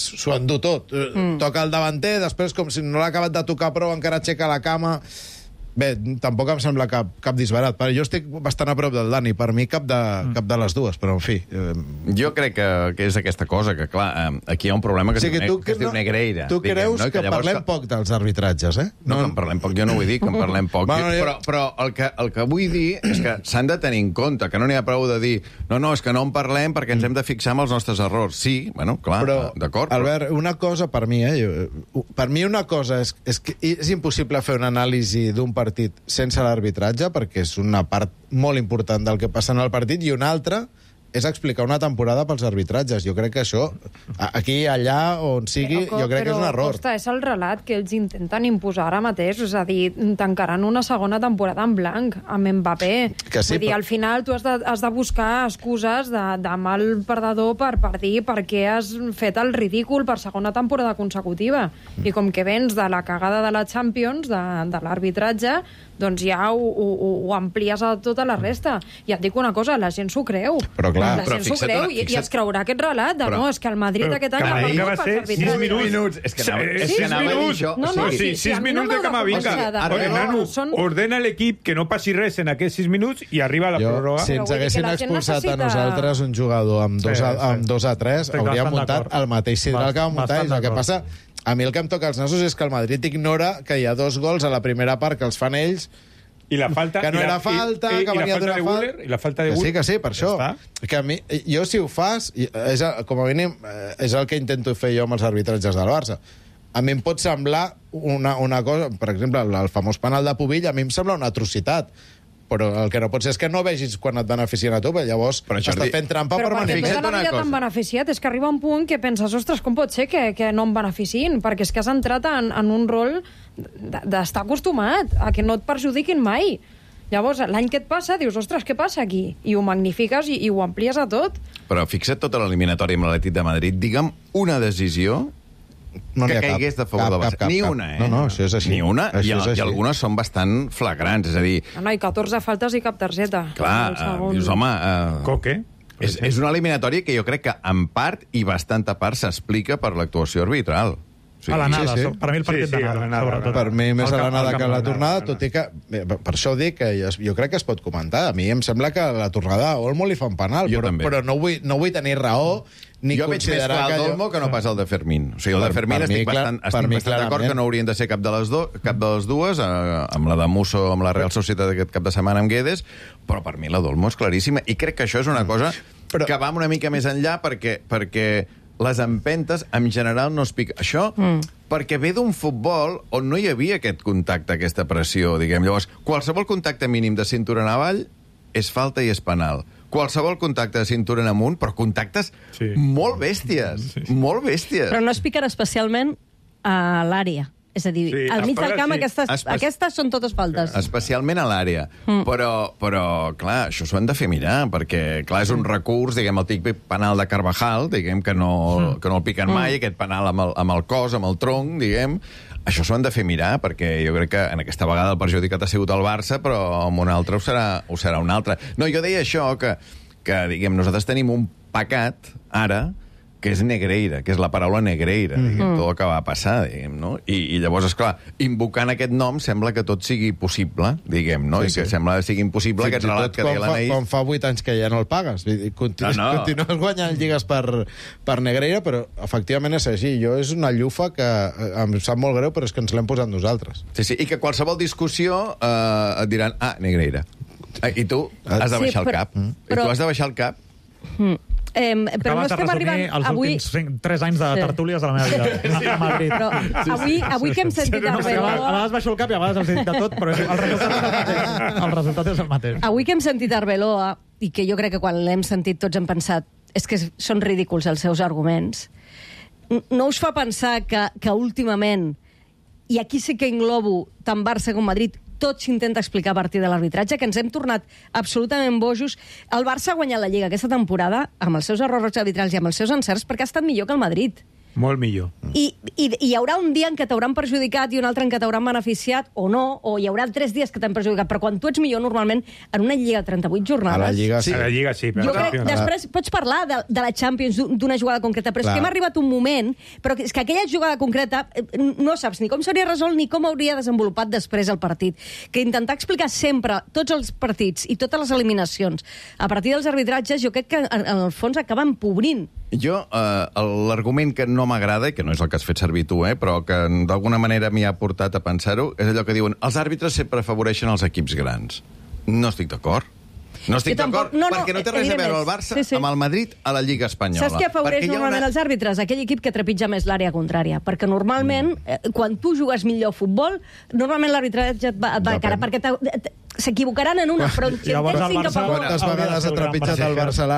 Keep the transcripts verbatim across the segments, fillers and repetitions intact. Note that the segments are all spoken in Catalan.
s'ho endú tot. Mm. Toca el davanter, després, com si no l'ha acabat de tocar prou, encara aixeca la cama... Bé, tampoc em sembla cap, cap disbarat, però jo estic bastant a prop del Dani. Per mi cap de, mm. cap de les dues, però en fi... Eh... Jo crec que, que és aquesta cosa, que clar, aquí hi ha un problema que, o sigui, es, diu, tu, que es diu Negreira. Tu diguem, creus no? que, que parlem que... poc dels arbitratges, eh? No, no, que en parlem poc, jo no vull dir que en parlem poc. Bueno, jo... Però, però el, que, el que vull dir és que s'han de tenir en compte, que no n'hi ha prou de dir no, no, és que no en parlem perquè ens hem de fixar en els nostres errors. Sí, bueno, clar, d'acord. Albert, però... una cosa per mi, eh? Jo, per mi una cosa és, és que és impossible fer una anàlisi d'un partit sense l'arbitratge, perquè és una part molt important del que passa en el partit, i una altra és explicar una temporada pels arbitratges. Jo crec que això, aquí, allà, on sigui, però, jo crec que és un error. Costa, és el relat que ells intenten imposar ara mateix, és a dir, tancaran una segona temporada en blanc, amb Mbappé. Que sí, Vull dir, però... al final tu has de, has de buscar excuses de, de mal perdedor per, per dir per què has fet el ridícul per segona temporada consecutiva. Mm. I com que vens de la cagada de la Champions, de, de l'arbitratge, doncs ja ho, ho, ho amplies a tota la resta. I et dic una cosa, la gent s'ho creu. Però clar, la gent s'ho creu i, i es creurà aquest relat de però, no, és que el Madrid però, aquest any ha perdut va ser sis minuts. És que anava, sí, és que anava a dir això. No, no, sí, sis sí, minuts de Camavinga. Nano, ordena l'equip que no passi res en aquests sis minuts i arriba a la pròrroga. Si ens haguessin expulsat necessita... a nosaltres un jugador amb dos a, amb dos a tres, hauríem muntat el mateix sidral que vam muntar. El que passa... A mi el que em toca als nassos és que el Madrid ignora que hi ha dos gols a la primera part que els fan ells, i la falta, que no i la, era falta, i, que i venia d'una falta... I la falta de Guller. Que sí, que sí, per això. Que a mi, jo, si ho fas, és, com a mínim, és el que intento fer jo amb els arbitratges del Barça. A mi em pot semblar una, una cosa... Per exemple, el, el famós penal de Pubill, a mi em sembla una atrocitat. Però el que no pot ser és que no vegis quan et beneficien a tu, però llavors però estàs fent trampa però per beneficiar. Però perquè tota la vida t'han beneficiat, és que arriba un punt que penses, ostres, com pot ser que, que no em beneficien? Perquè és que has entrat en, en un rol d'estar acostumat a que no et perjudiquin mai. Llavors, l'any que et passa, dius, ostres, què passa aquí? I ho magnifiques i, i ho amplies a tot. Però fixa't tota l'eliminatòria amb l'Atlètic de Madrid. Digue'm una decisió no que caigués de favor del Barça. Ni una, eh? No, no, això és així. Ni una, i, i algunes són bastant flagrants, és a dir... No, no, i catorze faltes i cap targeta. Clar, uh, dius, home... Uh, Coque. És, és una eliminatòria que jo crec que en part i bastanta part s'explica per l'actuació arbitral. Sí, a l'anada, sí, sí. Per mi el partit sí, sí, d'anada. Per mi més a l'anada que a la tornada, tot i que... Per això dic que jo crec que es pot comentar. A mi em sembla que a la tornada a Olmo li fan penal, però, però no, vull, no vull tenir raó ni jo veig més clar el d'Olmo que no pas el de Fermín. O sigui, el de Fermín estic bastant, estic bastant d'acord que no haurien de ser cap de les, do, cap de les dues, eh, amb la de Musso, amb la Real Societat d'aquest cap de setmana amb Guedes, però per mi la d'Olmo és claríssima. I crec que això és una cosa però... que va una mica més enllà perquè, perquè les empentes en general no es piquen. Això mm. perquè ve d'un futbol on no hi havia aquest contacte, aquesta pressió, diguem. Llavors, qualsevol contacte mínim de cintura en avall és falta i és penal. Qualsevol contacte de cintura en amunt, però contactes sí. molt bèsties, sí. molt bèsties. Però no es piquen especialment a l'àrea. És a dir, sí, al mig del camp sí. aquestes, Espe aquestes són totes faltes. Especialment a l'àrea. Mm. Però, però, clar, això s'ho han de fer mirar, perquè, clar, és un recurs, diguem, el típic penal de Carvajal, diguem, que no, mm. que no el piquen mm. mai, aquest penal amb el, amb el cos, amb el tronc, diguem. Això s'ho han de fer mirar, perquè jo crec que en aquesta vegada el perjudicat ha sigut el Barça, però amb un altre ho serà, ho serà un altre. No, jo deia això, que, que diguem, nosaltres tenim un pecat, ara, que és Negreira, que és la paraula Negreira, mm -hmm. diguem, tot el que va passar, diguem, no? I, i llavors, esclar, invocant aquest nom sembla que tot sigui possible, diguem, no? Sí, I que sí. sembla que sigui impossible aquest relat que deia l'Anaïs. Quan fa vuit anys que ja no el pagues. Continues, no, no. continues guanyant lligues per, per Negreira, però efectivament és així. Jo és una llufa que em sap molt greu, però és que ens l'hem posat nosaltres. Sí, sí, i que qualsevol discussió eh, et diran, ah, Negreira. I tu has de baixar sí, però, el cap. Mm. I tu has de baixar el cap. Mm. Eh, però no estem arribant... els avui... últims tres anys de tertúlies de la meva vida sí. a Madrid. Però avui, avui que hem sentit no, Arbeloa... A vegades baixo el cap i a vegades hem sentit de tot, però el resultat és el mateix. El resultat és el mateix. Avui que hem sentit Arbeloa, i que jo crec que quan l'hem sentit tots hem pensat és que són ridículs els seus arguments, no us fa pensar que, que últimament, i aquí sí que englobo tant Barça com Madrid, tot s'intenta explicar a partir de l'arbitratge, que ens hem tornat absolutament bojos. El Barça ha guanyat la Lliga aquesta temporada amb els seus errors arbitrals i amb els seus encerts perquè ha estat millor que el Madrid. Molt millor. I, i, i hi haurà un dia en què t'hauran perjudicat i un altre en què t'hauran beneficiat, o no, o hi haurà tres dies que t'han perjudicat, però quan tu ets millor, normalment, en una lliga de trenta-vuit jornades... A la Lliga sí. A la Lliga sí, però... Jo crec, després pots parlar de, de la Champions, d'una jugada concreta, però és Clar. que hem arribat un moment, però és que aquella jugada concreta no saps ni com s'hauria resolt ni com hauria desenvolupat després el partit. Que intentar explicar sempre tots els partits i totes les eliminacions a partir dels arbitratges, jo crec que en, en el fons acaba empobrint. Jo, eh, l'argument que no m'agrada, i que no és el que has fet servir tu, eh, però que d'alguna manera m'hi ha portat a pensar-ho, és allò que diuen els àrbitres sempre afavoreixen els equips grans. No estic d'acord. No estic d'acord, no, no, perquè no té res a veure el Barça sí, sí. amb el Madrid a la Lliga Espanyola. Saps què afavoreix normalment una... els àrbitres? Aquell equip que trepitja més l'àrea contrària. Perquè normalment, mm. eh, quan tu jugues millor a futbol, normalment l'arbitratge et va, et va a cara, perquè s'equivocaran en una, però si en tens cinc a favor... Quantes vegades ha trepitjat el Barça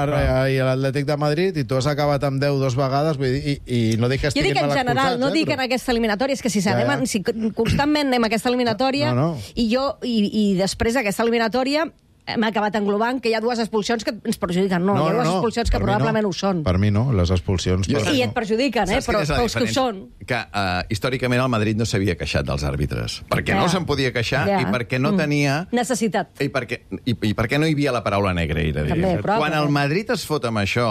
i l'Atlètic de Madrid i tu has acabat amb deu dues vegades, vull dir, i, i no dic que estiguin mal expulsats. Jo dic en general, no dic en aquesta eliminatòria, és que si sabem, ja, ja. si constantment anem a aquesta eliminatòria, no, no. i jo, i, i després d'aquesta eliminatòria, hem acabat englobant que hi ha dues expulsions que ens perjudiquen. No, no hi ha dues no, expulsions que probablement no. ho són. Per mi no, les expulsions... Jo, I et perjudiquen, eh? però els que ho són. Que uh, històricament el Madrid no s'havia queixat dels àrbitres. Perquè ja. no se'n podia queixar ja. i perquè no tenia... Necessitat. I perquè, i, i perquè no hi havia la paraula negreira. També, però, Quan el Madrid es fot amb això...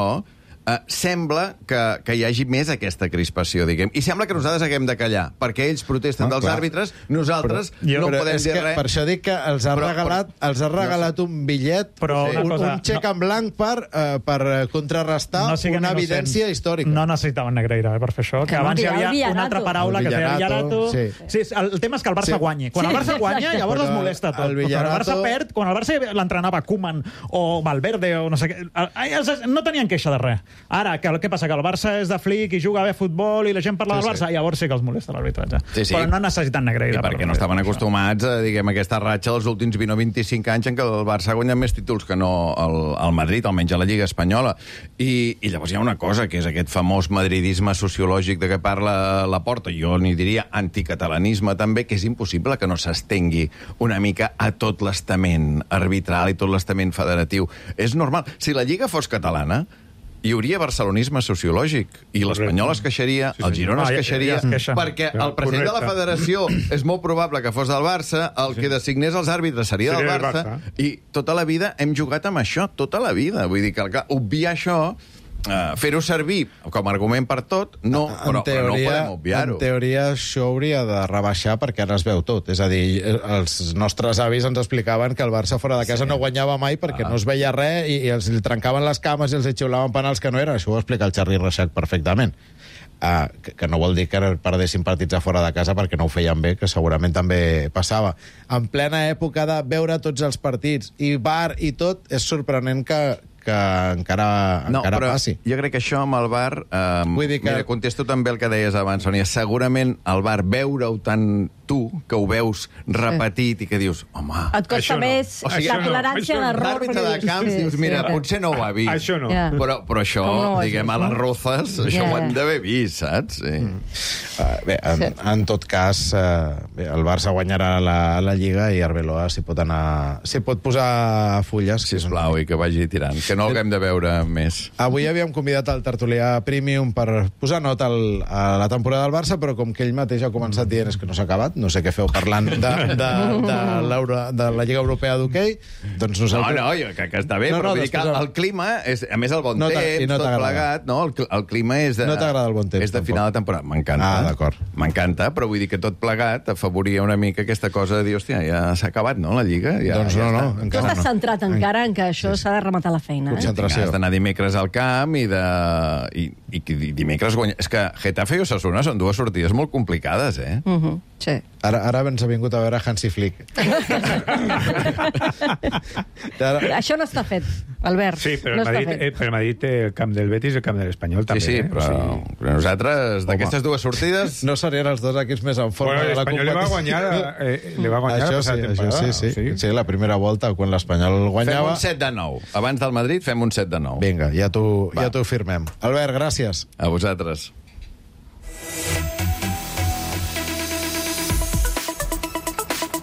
Uh, sembla que, que hi hagi més aquesta crispació, diguem. I sembla que nosaltres haguem de callar, perquè ells protesten no, dels clar. àrbitres, nosaltres però, no podem dir res. Per això dic que els ha però, regalat, però, els ha regalat no sé. un bitllet, però un, cosa, un xec no, en blanc per, uh, per contrarrestar no una evidència innocents. històrica. No necessitaven negreira eh, per fer això, que, que abans hi havia una altra paraula que feia Villarato. Sí. Sí, el, el tema és que el Barça sí. guanyi. Quan sí, el Barça guanya, llavors es molesta tot. El Villarato... Quan el Barça perd, quan el Barça l'entrenava Koeman o Valverde o no sé què, no tenien queixa de res. Ara, que, què passa? Que el Barça és de flic i juga bé a futbol i la gent parla sí, del Barça, sí. llavors sí que els molesta l'arbitratge. Sí, sí. Però no necessiten negreira. I perquè no estaven acostumats a, diguem, aquesta ratxa dels últims vint o vint-i-cinc anys en què el Barça ha guanyat més títols que no el, el Madrid, almenys a la Lliga Espanyola. I, I llavors hi ha una cosa, que és aquest famós madridisme sociològic de què parla Laporta, jo n'hi diria anticatalanisme també, que és impossible que no s'estengui una mica a tot l'estament arbitral i tot l'estament federatiu. És normal. Si la Lliga fos catalana, hi hauria barcelonisme sociològic i l'Espanyol es queixaria, sí, sí. el Girona es queixaria, ah, ja, ja perquè ja, el president correcte. de la federació és molt probable que fos del Barça, el sí. que designés els àrbitres seria, seria del Barça, Barça, i tota la vida hem jugat amb això, tota la vida. Vull dir que, clar, obviar això, uh, fer-ho servir com a argument per tot, no, però, teoria, però no podem obviar-ho. En teoria això hauria de rebaixar perquè ara es veu tot. És a dir, els nostres avis ens explicaven que el Barça fora de casa sí. no guanyava mai perquè ah. no es veia res i, i els trencaven les cames i els xiulaven penals que no eren. Això ho explica el Xarri Reixac perfectament. Uh, que, que no vol dir que perdessin partits a fora de casa perquè no ho feien bé, que segurament també passava. En plena època de veure tots els partits i V A R i tot, és sorprenent que, que encara, no, encara passi. Jo crec que això amb el V A R... Eh, Vull dir que... Mira, contesto també el que deies abans, Sònia. Segurament el V A R veure-ho tant tu, que ho veus repetit i que dius, home... Et costa més no. o sigui, la tolerància no. d'error. L'àrbitre de camps sí, dius, mira, sí, potser no ho ha vist. Això no. Yeah. Però, però això, no, diguem, a les Rozas, yeah. això ho han d'haver vist, saps? Sí. Mm. Uh, bé, en, sí. en tot cas, uh, bé, el Barça guanyarà la, la Lliga i Arbeloa s'hi pot anar... s'hi pot posar fulles. Sisplau, i que vagi tirant, que no l'haguem de veure més. Avui havíem convidat el tertulià Premium per posar nota al, a la temporada del Barça, però com que ell mateix ha començat dient és que no s'ha acabat, no sé què feu parlant de, de, de, de la Lliga Europea d'Hoquei, doncs nosaltres... No, no, jo crec que està bé, no, però no, vull dir que el, el clima, és, a més el bon no temps, no tot plegat, no? El, el clima és de... No t'agrada el bon temps, és de final de temporada. M'encanta. Ah, d'acord. M'encanta, però vull dir que tot plegat afavoria una mica aquesta cosa de dir, hòstia, ja s'ha acabat, no, la Lliga? Ja, doncs ja no, està. no, encara no. Tu estàs centrat encara en que això s'ha de rematar la feina, eh? Concentració. Has d'anar dimecres al camp i de... I, i, i dimecres guanyar... És que Getafe i Osasuna són dues sortides molt complicades, eh? Uh -huh. Sí. Ara, ara ens ha vingut a veure Hansi Flick. Això no està fet, Albert. Sí, però no el Madrid, eh, però Madrid té el camp del Betis i el camp de l'Espanyol també. Sí, sí, eh? però, o sigui... però nosaltres, d'aquestes dues sortides... No serien els dos equips més en forma bueno, de la competició. L'Espanyol li va guanyar, eh, li va guanyar això la sí, temporada. Això sí, sí. sí, sí, la primera volta, quan l'Espanyol guanyava... Fem un set de nou. Abans del Madrid fem un set de nou. Vinga, ja t'ho ja t'ho firmem. Albert, gràcies. A vosaltres.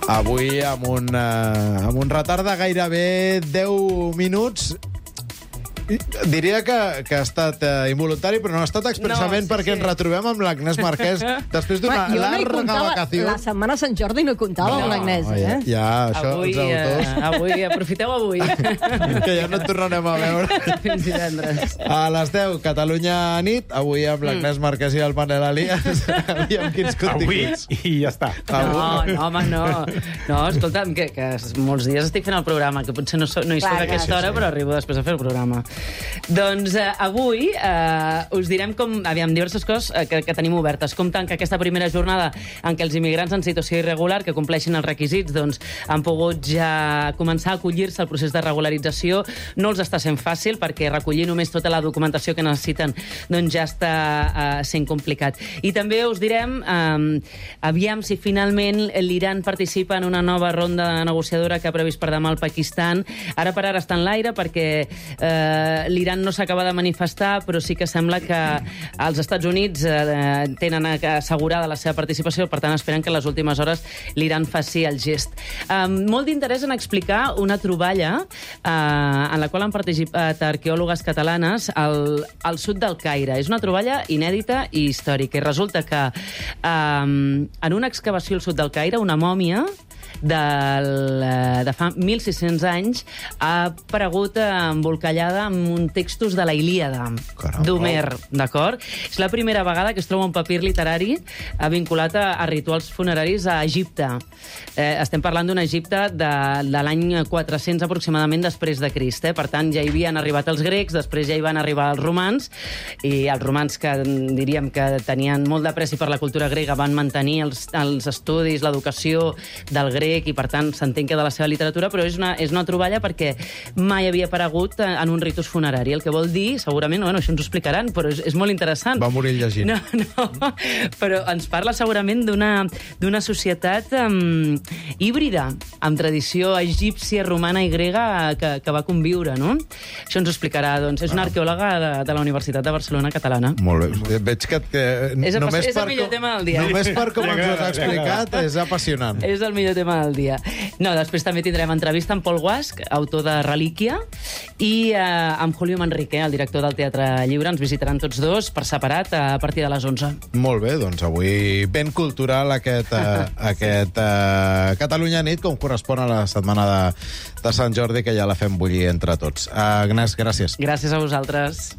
Avui, amb un, uh, amb un retard de gairebé deu minuts, Diria que, que ha estat uh, involuntari, però no ha estat expressament no, sí, perquè sí. ens retrobem amb l'Agnès Marquès després d'una jo larga no vacació. La setmana de Sant Jordi no hi comptava no, amb l'Agnès. Eh? Ja, ja, això, avui, els autors... Uh, avui, aprofiteu avui. Que ja no et tornarem a veure. Fins divendres. A les deu, Catalunya nit, avui amb l'Agnès Marquès i el Manel Elias. Aviam quins continguts. Avui i ja està. No, no, home, no. No, escolta'm, que, que molts dies estic fent el programa, que potser no, so, no hi soc a aquesta hora, però arribo després a fer el programa. Doncs eh, avui eh, us direm com, aviam, diverses coses eh, que, que tenim obertes. Com tanca aquesta primera jornada en què els immigrants en situació irregular que compleixin els requisits doncs, han pogut ja començar a acollir-se al procés de regularització. No els està sent fàcil perquè recollir només tota la documentació que necessiten doncs ja està eh, sent complicat. I també us direm eh, aviam si finalment l'Iran participa en una nova ronda negociadora que ha previst per demà al Pakistan. Ara per ara està en l'aire perquè eh, l'Iran no s'acaba de manifestar, però sí que sembla que els Estats Units eh, tenen assegurada la seva participació, per tant esperen que en les últimes hores l'Iran faci el gest. Eh, molt d'interès en explicar una troballa eh, en la qual han participat arqueòlogues catalanes al, al sud del Caire. És una troballa inèdita i històrica. I resulta que eh, en una excavació al sud del Caire, una mòmia del, de fa mil sis-cents anys ha aparegut embolcallada amb un textos de la Ilíada d'Homer, d'acord? És la primera vegada que es troba un papir literari vinculat a, a rituals funeraris a Egipte. Eh, estem parlant d'un Egipte de, de l'any quatre-cents aproximadament després de Crist. Eh? Per tant, ja hi havien arribat els grecs, després ja hi van arribar els romans, i els romans que diríem que tenien molt d'apreci per la cultura grega van mantenir els, els estudis, l'educació del grec, i per tant s'entén que de la seva literatura, però és una, és una troballa perquè mai havia aparegut en un ritus funerari, el que vol dir, segurament, bueno, això ens ho explicaran, però és, és molt interessant. Va morir llegint. No, no, però ens parla segurament d'una d'una societat um, híbrida, amb tradició egípcia, romana i grega que, que va conviure, no? Això ens ho explicarà, doncs, és una arqueòloga de, de la Universitat de Barcelona catalana. Molt bé, veig que... que és el, només és el millor com, tema del dia. Només per com ens ho has explicat, és apassionant. És el millor tema del dia. No, després també tindrem entrevista amb Pol Guasch, autor de Relíquia, i eh, amb Julio Manrique, el director del Teatre Lliure. Ens visitaran tots dos per separat a partir de les onze. Molt bé, doncs avui ben cultural aquest, eh, aquest eh, Catalunya nit, com correspon a la setmana de, de Sant Jordi, que ja la fem bullir entre tots. Agnès, gràcies. Gràcies a vosaltres.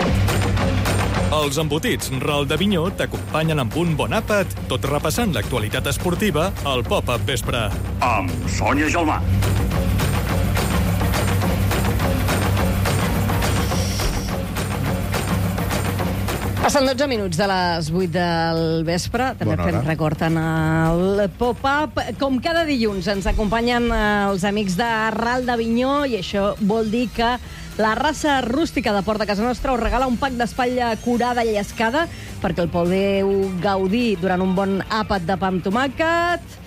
Els embotits Ral d'Avinyó t'acompanyen amb un bon àpat, tot repassant l'actualitat esportiva al Pop-Up Vespre. Amb Sònia Gelmà. Passen dotze minuts de les vuit del vespre. També Bona fem hora. record en el Pop-Up. Com cada dilluns ens acompanyen els amics de Ral d'Avinyó, i això vol dir que la raça rústica de Port de Casa Nostra us regala un pack d'espatlla curada i llescada perquè el podeu gaudir durant un bon àpat de pa amb tomàquet.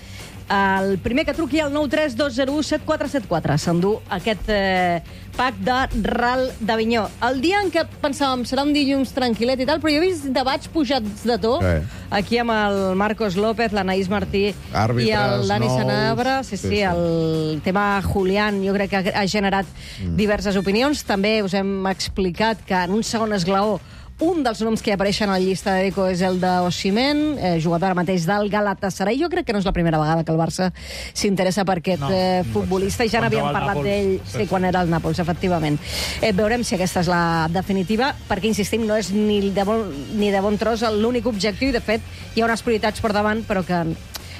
El primer que truqui al nou tres dos zero u set quatre set quatre s'endú aquest eh, pack de Ral d'Avinyó. El dia en què pensàvem serà un dilluns tranquil·let i tal, però jo he vist debats pujats de to, sí. Aquí amb el Marcos López, l'Anaïs Martí Àrbitres i el Dani nous. Sanabra. Sí, sí, Sí, sí. el tema Julián jo crec que ha generat mm. diverses opinions. També us hem explicat que en un segon esglaó un dels noms que apareixen a la llista de Deco és el d'Osimhen, eh, jugador ara mateix del Galatasaray. Jo crec que no és la primera vegada que el Barça s'interessa per aquest no, eh, futbolista, i ja n'havíem parlat d'ell sí, quan era el Nàpols, efectivament. Eh, veurem si aquesta és la definitiva, perquè, insistim, no és ni de bon, ni de bon tros l'únic objectiu, i, de fet, hi ha unes prioritats per davant, però que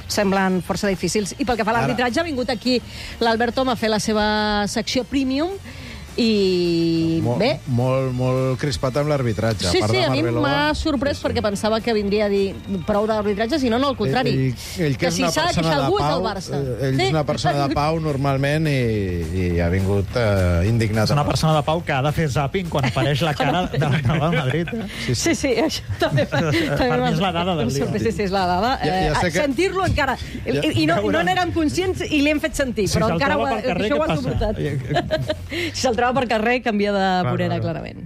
semblen força difícils. I pel que fa a l'arbitratge, ha vingut aquí l'Albert Tom a fer la seva secció Premium, i Mol, bé... Molt, molt crispat amb l'arbitratge. Sí, a part sí, de a mi Marbeló, m'ha sorprès sí, sí. perquè pensava que vindria a dir prou d'arbitratge, sinó no, al contrari. Ell, ell que, que és si una s'ha de persona queixar de algú és pau, el Barça. eh, ell Sí. és una persona de pau normalment i, i ha vingut eh, indignat. És una persona de pau que ha de fer zapping quan apareix la cara de la Real Madrid. Eh? Sí, sí, sí, això també... Per mi és la dada del dia. Sí, sí, és la dada. Ja- ja sé Eh, que- Sentir-lo encara... I, i no, no n'érem conscients i li hem fet sentir, Si però se'l encara ho, troba ha- pel carrer, això ho què ha passa? suportat. Si se'l troba per carrer, canvia de vorera, clar. clarament.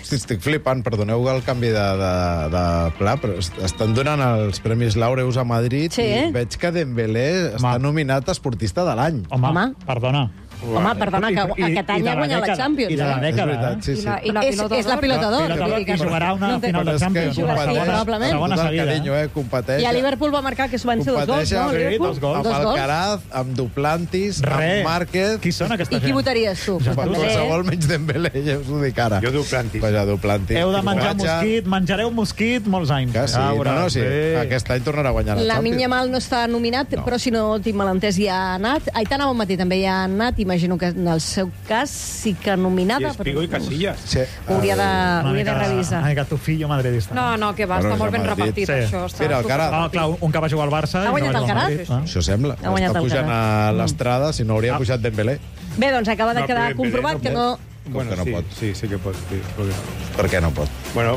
Hosti, estic flipant, perdoneu el canvi de, de, de pla, però est- estan donant els Premis Laureus a Madrid Sí. i veig que Dembélé està Home. nominat a esportista de l'any. Home, Home. perdona. Home, perdona, que aquest any ha guanyat la Champions. I de la dècada, eh? Sí, sí. I la pilota És la pilota d'or. I jugarà una final de Champions. Segona seguida. Competeix. I a Liverpool va marcar, que van ser dos gols, no? Sí, dos gols. Amb Alcaraz, amb Duplantis, amb Márquez... Qui són aquesta gent? I qui votaries tu? Qualsevol menys Dembélé, ja us ho dic ara. Jo Duplantis. Vaja, Duplantis. Heu de menjar mosquit, menjareu mosquit molts anys. Que sí, no, no, sí. Aquest any tornarà a guanyar la Champions. La Yamal no està nominat, però si no tinc malentès ja ha anat. Aitana Bonmatí també ja ha anat, imagino que en el seu cas sí que nominada. I Espigo i Casillas. Hauria de revisar. Una mica tu fillo madridista. No, no, que va, està molt ben repartit, això. Mira, Alcaraz. Ah, clar, un que va jugar al Barça... Ha guanyat Alcaraz? Això sembla. Està pujant a l'estrada, si no hauria pujat Dembélé. Bé, doncs acaba de quedar comprovat que no... Bueno, no sí, pot. sí, sí que pot. Sí, perquè... Per què no pot? Bueno,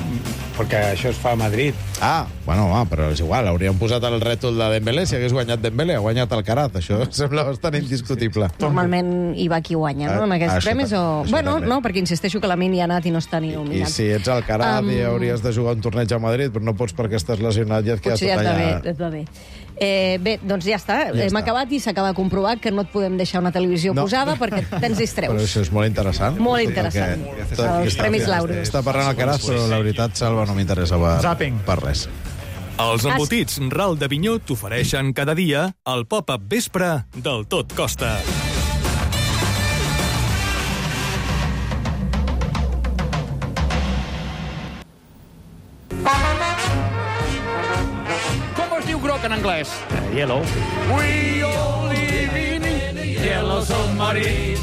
perquè això es fa a Madrid. Ah, bueno, va, però és igual. Hauríem posat el rètol de Dembélé si hagués guanyat Dembélé. Ha guanyat Alcaraz. Això sembla bastant indiscutible. Normalment hi va qui guanya, no?, en aquests això premis. O... Bueno, no, perquè insisteixo que la Mini ha anat i no està ni nominat. I si ets Alcaraz um... i hauries de jugar un torneig a Madrid, però no pots perquè estàs lesionat i et quedes tot allà. Potser ja et va bé. Eh, bé, doncs ja està. Ja Hem està. acabat i s'acaba de comprovar que no et podem deixar una televisió no. posada perquè tens distreus. Però això és molt interessant. Molt interessant. Tot, els Premis Laureus. Està parlant Alcaraz, però la veritat, Salva, no m'interessa per, per res. Els embotits Ral de Vinyó t'ofereixen cada dia el pop-up vespre del Tot Costa. En anglès. Uh, yellow. We all live in yellow submarine.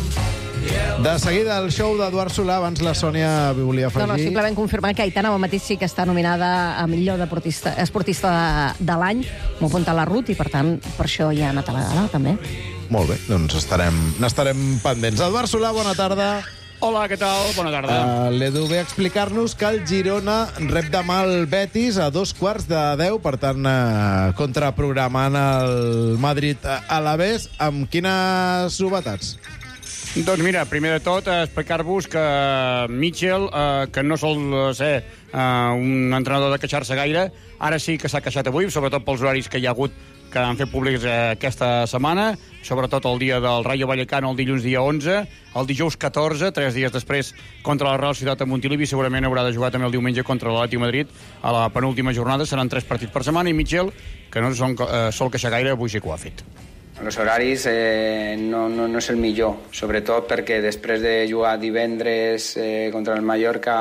De seguida, el show d'Eduard Solà. Abans la Sònia volia afegir... No, no, simplement confirmar que Aitana Bonmatí sí que està nominada a millor deportista, esportista de, de l'any. M'ho apunta la Ruth i, per tant, per això ja ha anat a la gala, també. Molt bé, doncs estarem, n'estarem pendents. Eduard Solà, bona tarda. Hola, què tal? Bona tarda. Uh, L'Edu ve a explicar-nos que el Girona rep demà el Betis a dos quarts de deu, per tant, uh, contraprogramant el Madrid a l'Alavés. Amb quines novetats? Doncs mira, primer de tot, explicar-vos que Mitchell, eh, que no sol ser eh, un entrenador de queixar-se gaire, ara sí que s'ha queixat avui, sobretot pels horaris que hi ha hagut que han fet públics eh, aquesta setmana, sobretot el dia del Rayo Vallecano, el dilluns dia onze, el dijous catorze, tres dies després, contra la Real Societat de Montilivi, segurament haurà de jugar també el diumenge contra l'Atlètic de Madrid a la penúltima jornada, seran tres partits per setmana, i Mitchell, que no son, eh, sol queixar gaire, avui sí que ho ha fet. Els horaris eh, no, no, no és el millor, sobretot perquè després de jugar divendres eh, contra el Mallorca,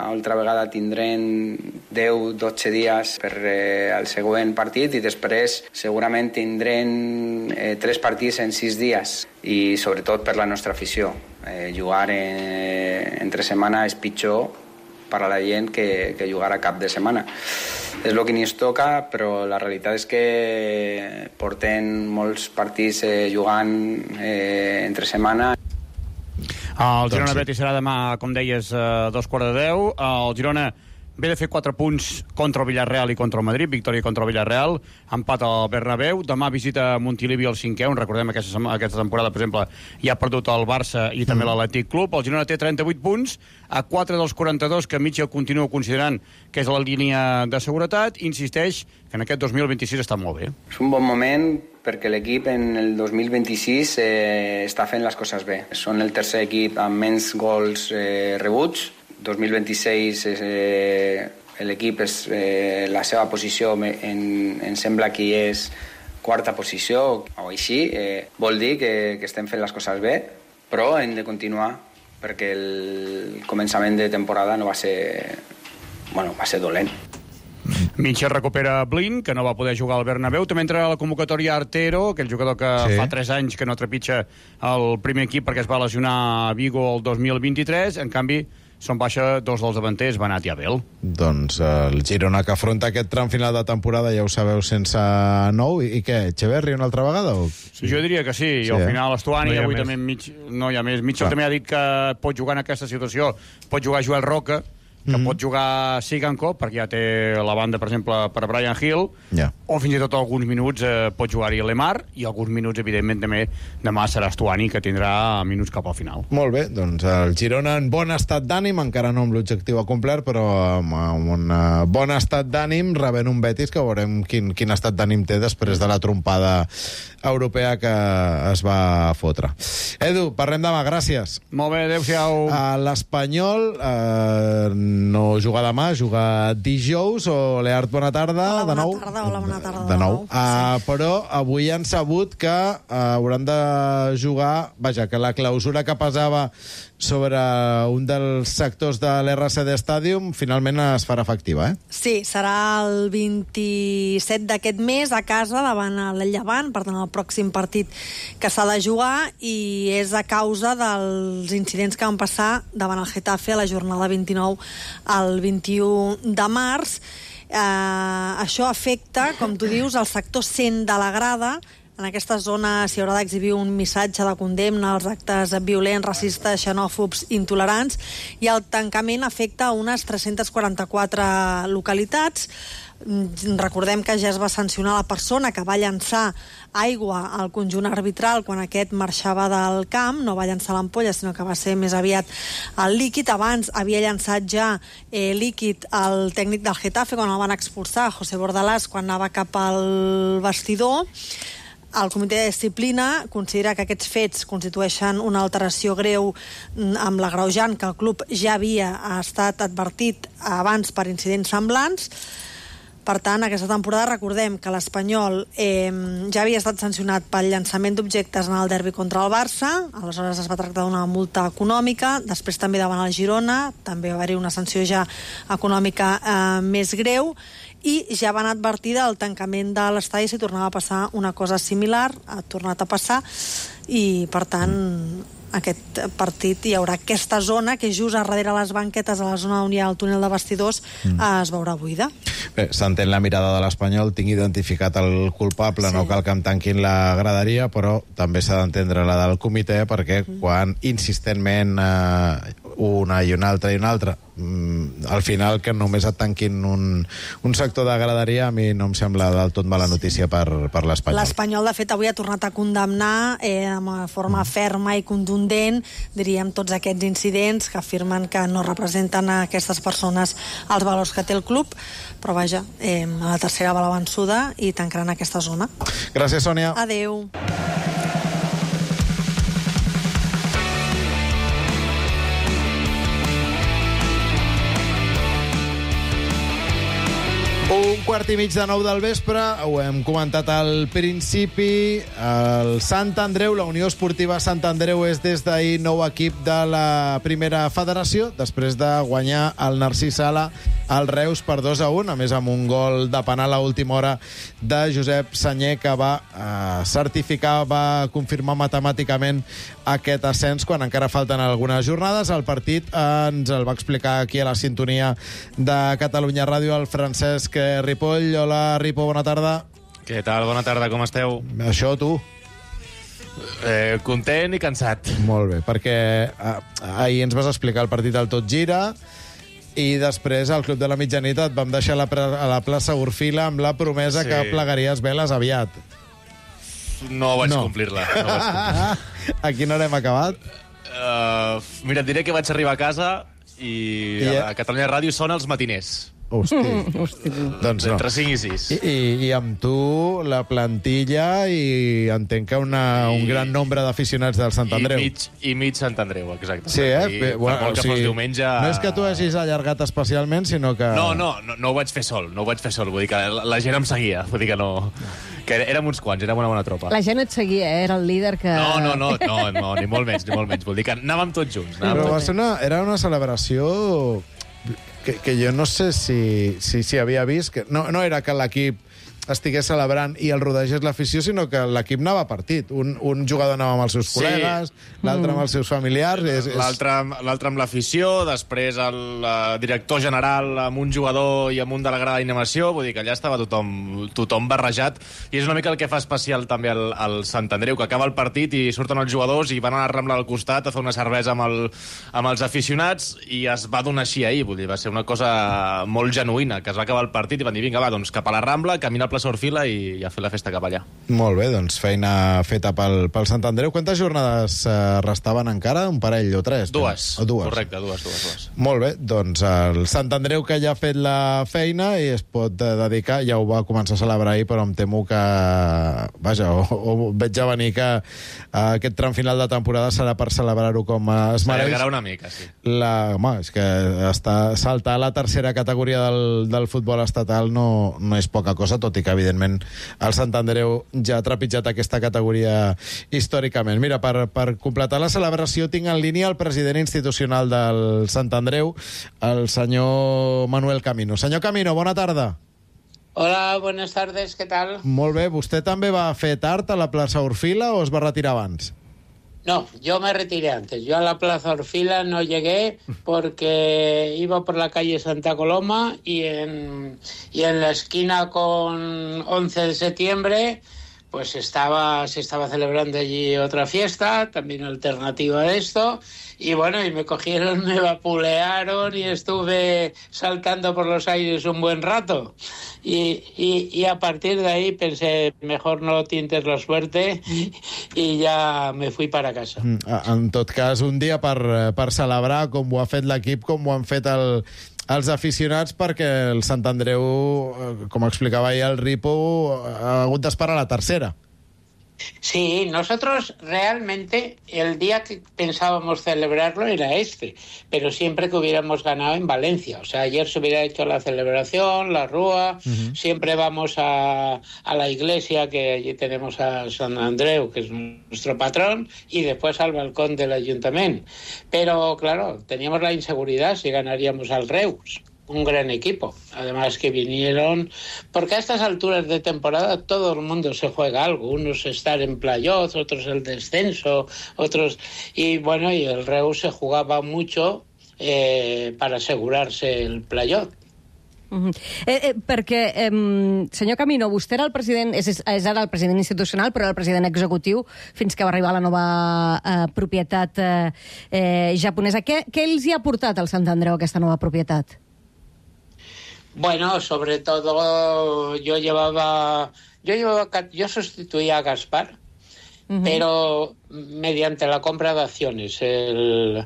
altra vegada tindrem deu dotze dies per eh, al següent partit i després segurament tindrem eh, tres partits en sis dies i sobretot per la nostra afició. Eh, jugar en, entre setmana és pitjor per a la gent que, que jugar a cap de setmana. És el que ni es toca, però la realitat és que portem molts partits eh, jugant eh, entre setmana. El Girona Betis serà demà, com deies, a dos quarts de deu. El Girona ve de fer quatre punts contra el Villarreal i contra el Madrid, victòria contra el Villarreal, empat al Bernabéu, demà visita Montilivi el cinquè, on recordem aquesta, aquesta temporada, per exemple, ja ha perdut el Barça i també mm. l'Atlètic Club. El Girona té trenta-vuit punts, a quatre dels quaranta-dos que Mitchell continua considerant que és la línia de seguretat, insisteix que en aquest dos mil vint-i-sis està molt bé. És un bon moment perquè l'equip en el dos mil vint-i-sis eh, està fent les coses bé. Són el tercer equip amb menys gols eh, rebuts. dos mil vint-i-sis eh, l'equip és eh, la seva posició en, em sembla que és quarta posició o així, eh, vol dir que, que estem fent les coses bé, però hem de continuar perquè el començament de temporada no va ser, bueno, va ser dolent. Mitchell recupera Blin, que no va poder jugar al Bernabéu. També entra a la convocatòria Artero, aquell jugador que sí. fa tres anys que no trepitja el primer equip perquè es va lesionar a Vigo el dos mil vint-i-tres. En canvi, són baixa dos dels davanters, Benat i Abel. Doncs el Girona que afronta aquest tram final de temporada, ja ho sabeu, sense nou. I, i què, Echeverri una altra vegada? O... Sí. Jo diria que sí, i sí, al final Estuani, no avui més. també mig, no hi ha més. Mitchell Clar. també ha dit que pot jugar en aquesta situació, pot jugar Joel Roca, que mm. pot jugar Sigankov, perquè ja té la banda, per exemple, per Brian Hill, yeah. o fins i tot alguns minuts eh, pot jugar-hi Lemar, i alguns minuts, evidentment, també demà serà Stuani, que tindrà minuts cap al final. Molt bé, doncs el Girona en bon estat d'ànim, encara no amb l'objectiu acomplert, però amb, amb un bon estat d'ànim, rebent un Betis que veurem quin, quin estat d'ànim té després de la trompada europea que es va fotre. Edu, parlem demà, gràcies. Molt bé, adéu-siau. L'Espanyol eh, no juga demà, juga dijous, o Leart, bona tarda. Hola, de bona nou. tarda, hola, bona tarda. De nou. Sí. Uh, però avui han sabut que uh, hauran de jugar, vaja, que la clausura que pesava sobre un dels sectors de l'R C D Stadium finalment es farà efectiva, eh? Sí, serà el vint-i-set d'aquest mes a casa davant el Llevant, per tant el pròxim partit que s'ha de jugar, i és a causa dels incidents que van passar davant el Getafe a la jornada vint-i-nou al vint-i-u de març. Eh, això afecta, com tu dius, el sector cent de la grada. En aquesta zona s'hi haurà d'exhibir un missatge de condemna als actes violents, racistes, xenòfobs, intolerants, i el tancament afecta unes tres-centes quaranta-quatre localitats. Recordem que ja es va sancionar la persona que va llançar aigua al conjunt arbitral quan aquest marxava del camp. No va llançar l'ampolla, sinó que va ser més aviat el líquid. Abans havia llançat ja eh, líquid al tècnic del Getafe quan el van expulsar, José Bordalás, quan anava cap al vestidor. El comitè de disciplina considera que aquests fets constitueixen una alteració greu amb l'agreujant que el club ja havia estat advertit abans per incidents semblants. Per tant, aquesta temporada recordem que l'Espanyol eh, ja havia estat sancionat pel llançament d'objectes en el derbi contra el Barça, aleshores es va tractar d'una multa econòmica, després també davant el Girona, també va haver-hi una sanció ja econòmica eh, més greu, i ja van advertir del tancament de l'estadi si tornava a passar una cosa similar, ha tornat a passar, i per tant aquest partit hi haurà aquesta zona que just a darrere les banquetes, a la zona on hi ha el túnel de vestidors, mm. es veurà buida. Bé, s'entén la mirada de l'Espanyol, tinc identificat el culpable, sí. No cal que em tanquin la graderia, però també s'ha d'entendre la del comitè, perquè mm. quan insistentment eh, una i una altra i una altra, mm, al final que només et tanquin un, un sector de graderia, a mi no em sembla del tot mala notícia per, per l'Espanyol. L'Espanyol, de fet, avui ha tornat a condemnar eh, de forma ferma i contundent, diríem, tots aquests incidents que afirmen que no representen a aquestes persones els valors que té el club, però vaja, eh, a la tercera va la vençuda i tancaran aquesta zona. Gràcies, Sònia. Adéu. Un quart i mig de nou del vespre, ho hem comentat al principi, el Sant Andreu, la Unió Esportiva Sant Andreu és des d'ahir nou equip de la primera federació, després de guanyar el Narcís Sala al Reus per dos a un, a més amb un gol de penal a última hora de Josep Sanyer, que va eh, certificar, va confirmar matemàticament aquest ascens quan encara falten algunes jornades. El partit eh, ens el va explicar aquí a la sintonia de Catalunya Ràdio el Francesc Ripoll. Hola, Ripo, bona tarda. Què tal? Bona tarda, com esteu? Això, tu? Eh, content i cansat. Molt bé, perquè eh, ahir ens vas explicar el partit al Tot Gira i després al Club de la Mitjanit et vam deixar a la, a la plaça Orfila amb la promesa sí. que plegaries veles aviat. No vaig no. complir-la. No vaig complir. A quina hora hem acabat? Uh, mira, et diré que vaig arribar a casa i, I a Catalunya Ràdio sona els matiners. Hosti. Mm, hosti. Doncs no. Entre cinc i sis. I, i, I amb tu, la plantilla, i entenc que una, I, un gran nombre d'aficionats del Sant Andreu. I mig, i mig Sant Andreu, exacte. Sí, eh? I, Bé, bueno, per molt que o sigui, fos diumenge... No és que tu hagis allargat especialment, sinó que... No, no, no, no ho vaig fer sol, no ho vaig fer sol. Vull dir que la, la gent em seguia, vull dir que no... Que érem uns quants, érem una bona tropa. La gent et seguia, eh? Era el líder que... No, no, no, no, no ni molt menys, ni molt menys. Vull dir que anàvem tots junts. Anàvem Però va tots. ser una, era una celebració... Que, que jo no sé si, si, si havia vist... Que no, no era que l'equip estigués celebrant i el rodegés l'afició, sinó que l'equip anava a partit. Un, un jugador anava amb els seus sí. col·legues, l'altre mm. amb els seus familiars... És, és... L'altre amb l'afició, després el uh, director general amb un jugador i amb un de la grada d'animació, vull dir que allà estava tothom, tothom barrejat, i és una mica el que fa especial també al, al Sant Andreu, que acaba el partit i surten els jugadors i van a la Rambla al costat a fer una cervesa amb, el, amb els aficionats, i es va donar així ahir, vull dir, va ser una cosa molt genuïna, que es va acabar el partit i van dir, vinga, va, doncs cap a la Rambla, camina al plaça Orfila i, i a fer la festa cap allà. Molt bé, doncs feina feta pel, pel Sant Andreu. Quantes jornades eh, restaven encara? Un parell o tres? Dues. O dues. Correcte, dues, dues, dues. Molt bé, doncs el Sant Andreu, que ja ha fet la feina i es pot dedicar, ja ho va començar a celebrar ahir, però em temo que, vaja, o, o veig a venir que eh, aquest tram final de temporada serà per celebrar-ho com es mereix. S'allargarà una mica, sí. La, home, és que està, saltar a la tercera categoria del, del futbol estatal no, no és poca cosa, tot i que evidentment el Sant Andreu ja ha trepitjat aquesta categoria històricament. Mira, per, per completar la celebració tinc en línia el president institucional del Sant Andreu, el senyor Manuel Camino. Senyor Camino, bona tarda. Hola, buenas tardes, ¿qué tal? Molt bé, vostè també va fer tard a la plaça Orfila o es va retirar abans? No, yo me retiré antes. Yo a la Plaza Orfila no llegué porque iba por la calle Santa Coloma y en, y en la esquina con once de septiembre pues estaba, se estaba celebrando allí otra fiesta, también alternativa de esto, y bueno, y me cogieron, me vapulearon y estuve saltando por los aires un buen rato. Y, y, y a partir de ahí pensé, mejor no tientes la suerte, i ja me fui para casa. En tot cas, un dia per, per celebrar, com ho ha fet l'equip, com ho han fet el, els aficionats, perquè el Sant Andreu, com explicava ahir el Ripo, ha hagut d'esperar la tercera. Sí, nosotros realmente el día que pensábamos celebrarlo era este, pero siempre que hubiéramos ganado en Valencia. O sea, ayer se hubiera hecho la celebración, la rúa, uh-huh. Siempre vamos a, a la iglesia, que allí tenemos a San Andreu, que es nuestro patrón, y después al balcón del ayuntamiento. Pero claro, teníamos la inseguridad si ganaríamos al Reus. Un gran equipo, además que vinieron, porque a estas alturas de temporada todo el mundo se juega algo, unos estar en playoff, otros el descenso, otros, y bueno, y el Reus se jugaba mucho eh, para asegurarse el playoff. Uh-huh. eh, eh, perquè, eh, senyor Camino, vostè era el president, és, és ara el president institucional, però era el president executiu fins que va arribar la nova eh, propietat eh, eh, japonesa. Què, què els hi ha portat al Sant Andreu aquesta nova propietat? Bueno, sobre todo yo llevaba, yo llevaba, yo sustituía a Gaspar, uh-huh. Pero mediante la compra de acciones. El...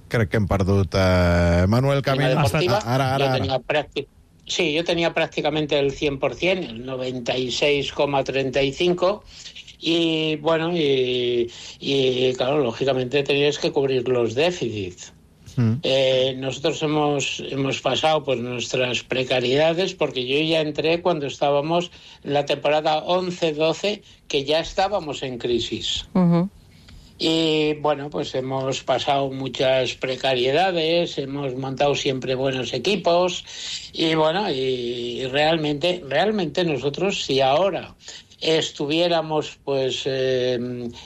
Crec que hem perdut eh, Manuel Camino. Deportiva, ara, ara, yo tenía prácti- sí, yo tenía prácticamente el cien por ciento, el noventa y seis coma treinta y cinco, y bueno, y, y claro, lógicamente tenías que cubrir los déficits. Eh, nosotros hemos, hemos pasado pues nuestras precariedades, porque yo ya entré cuando estábamos en la temporada once doce, que ya estábamos en crisis. Uh-huh. Y bueno, pues hemos pasado muchas precariedades, hemos montado siempre buenos equipos, y bueno, y realmente, realmente nosotros, si ahora estuviéramos pues eh,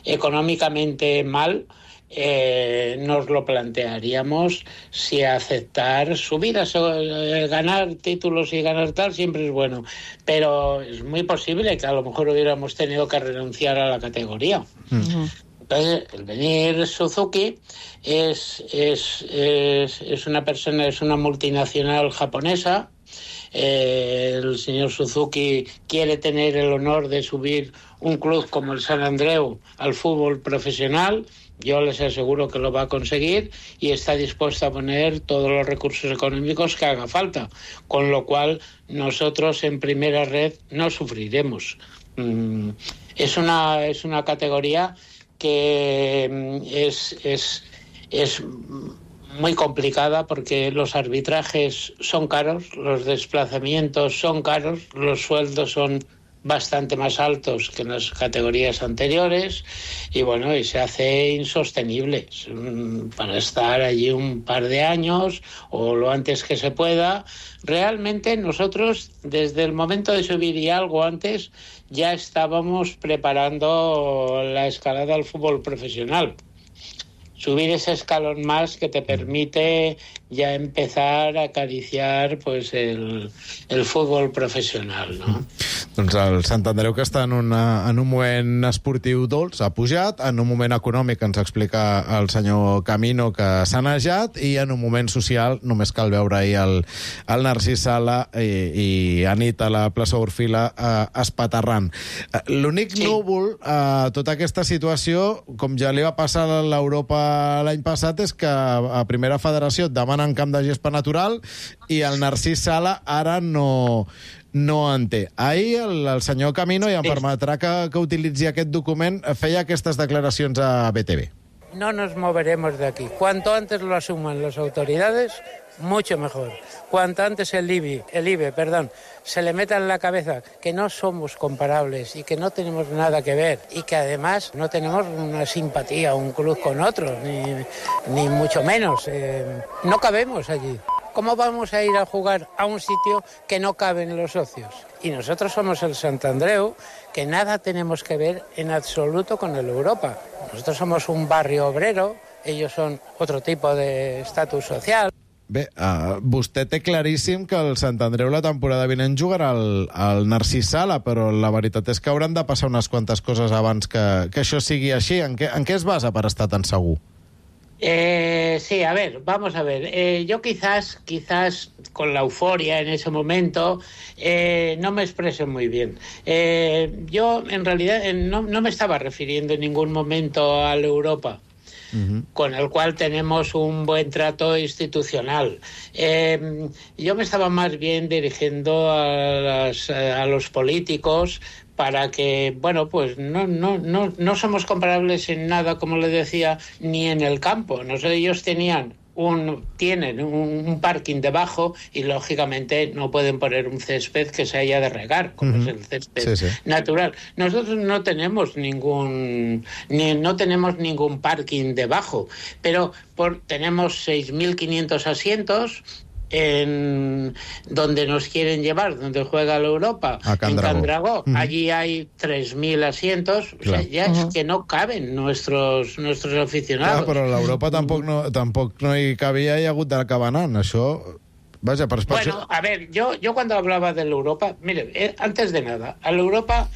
económicamente mal, Eh, nos lo plantearíamos si aceptar subidas, eh, ganar títulos y ganar tal siempre es bueno, pero es muy posible que a lo mejor hubiéramos tenido que renunciar a la categoría. Uh-huh. Entonces, el venir Suzuki es, es, es, es una persona, es una multinacional japonesa. Eh, el señor Suzuki quiere tener el honor de subir un club como el Sant Andreu al fútbol profesional. Yo les aseguro que lo va a conseguir y está dispuesto a poner todos los recursos económicos que haga falta, con lo cual nosotros en primera red no sufriremos. Mm, es una, es una categoría que es, es, es muy complicada, porque los arbitrajes son caros, los desplazamientos son caros, los sueldos son bastante más altos que en las categorías anteriores y bueno, y se hace insostenible para estar allí un par de años o lo antes que se pueda. Realmente nosotros desde el momento de subir y algo antes ya estábamos preparando la escalada al fútbol profesional. Subir ese escalón más que te permite ja empezar a acariciar pues, el, el futbol professional, no? Doncs el Sant Andreu, que està en, una, en un moment esportiu dolç, ha pujat, en un moment econòmic ens explica el senyor Camino que s'ha nejat, i en un moment social només cal veure ahir el, el Narcís Sala i, i Anit a la plaça Orfila eh, espaterrant. L'únic sí. núvol a eh, tota aquesta situació, com ja li va passar a l'Europa l'any passat, és que a Primera Federació et demanen camp de gespa natural i el Narcís Sala ara no... no en té. Ahir el, el senyor Camino, i em permetrà que, que utilitzi aquest document, feia aquestes declaracions a B T V. No nos moveremos de aquí. Cuanto antes lo asuman las autoridades, mucho mejor. Cuanto antes el I B I, el I B E, perdón, se le meta en la cabeza que no somos comparables y que no tenemos nada que ver y que además no tenemos una simpatía un club con otro, ni, ni mucho menos. Eh, no cabemos allí. ¿Cómo vamos a ir a jugar a un sitio que no caben los socios? Y nosotros somos el Sant Andreu, que nada tenemos que ver en absoluto con el Europa. Nosotros somos un barrio obrero, ellos son otro tipo de estatus social. Bé, uh, vostè té claríssim que el Sant Andreu la temporada vinent jugarà al, al Narcís Sala, però la veritat és que hauran de passar unes quantes coses abans que, que això sigui així. En què, en què es basa per estar tan segur? Eh, sí, a ver, vamos a ver. Eh, yo quizás, quizás con la euforia en ese momento, eh, no me expresé muy bien. Eh, yo, en realidad, eh, no, no me estaba refiriendo en ningún momento a la Europa, uh-huh. con el cual tenemos un buen trato institucional. Eh, yo me estaba más bien dirigiendo a, las, a los políticos, para que, bueno, pues no, no, no, no somos comparables en nada, como le decía, ni en el campo. No sé, ellos tenían un, tienen un, un parking debajo y, lógicamente, no pueden poner un césped que se haya de regar, como uh-huh. es el césped sí, sí. natural. Nosotros no tenemos ningún ni, no tenemos ningún parking debajo, pero por, tenemos seis mil quinientos asientos en donde nos quieren llevar, donde juega la Europa, en Candragó. Uh-huh. Allí hay tres mil asientos, o sea, ya uh-huh. es que no caben nuestros nuestros aficionados. Clar, però a l'Europa tampoc no, tampoc no hi cabia i ha hagut d'acabar anant, això... Vaja, per bueno, a ver, yo, yo cuando hablaba de la Europa, mire, eh, antes de nada, a la Europa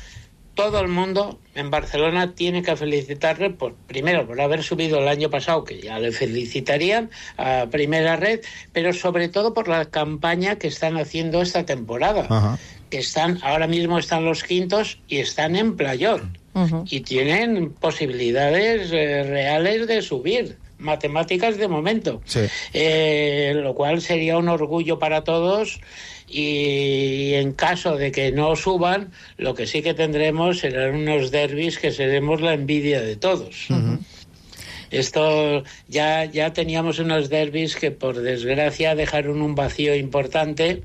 todo el mundo en Barcelona tiene que felicitarle, por, primero, por haber subido el año pasado, que ya le felicitarían a Primera Red, pero sobre todo por la campaña que están haciendo esta temporada. Uh-huh. Que están, ahora mismo están los quintos y están en playoff. Uh-huh. Y tienen posibilidades eh, reales de subir. Matemáticas de momento. Sí. Eh, lo cual sería un orgullo para todos. Y en caso de que no suban, lo que sí que tendremos serán unos derbis que seremos la envidia de todos. Uh-huh. Esto ya, ya teníamos unos derbis que, por desgracia, dejaron un vacío importante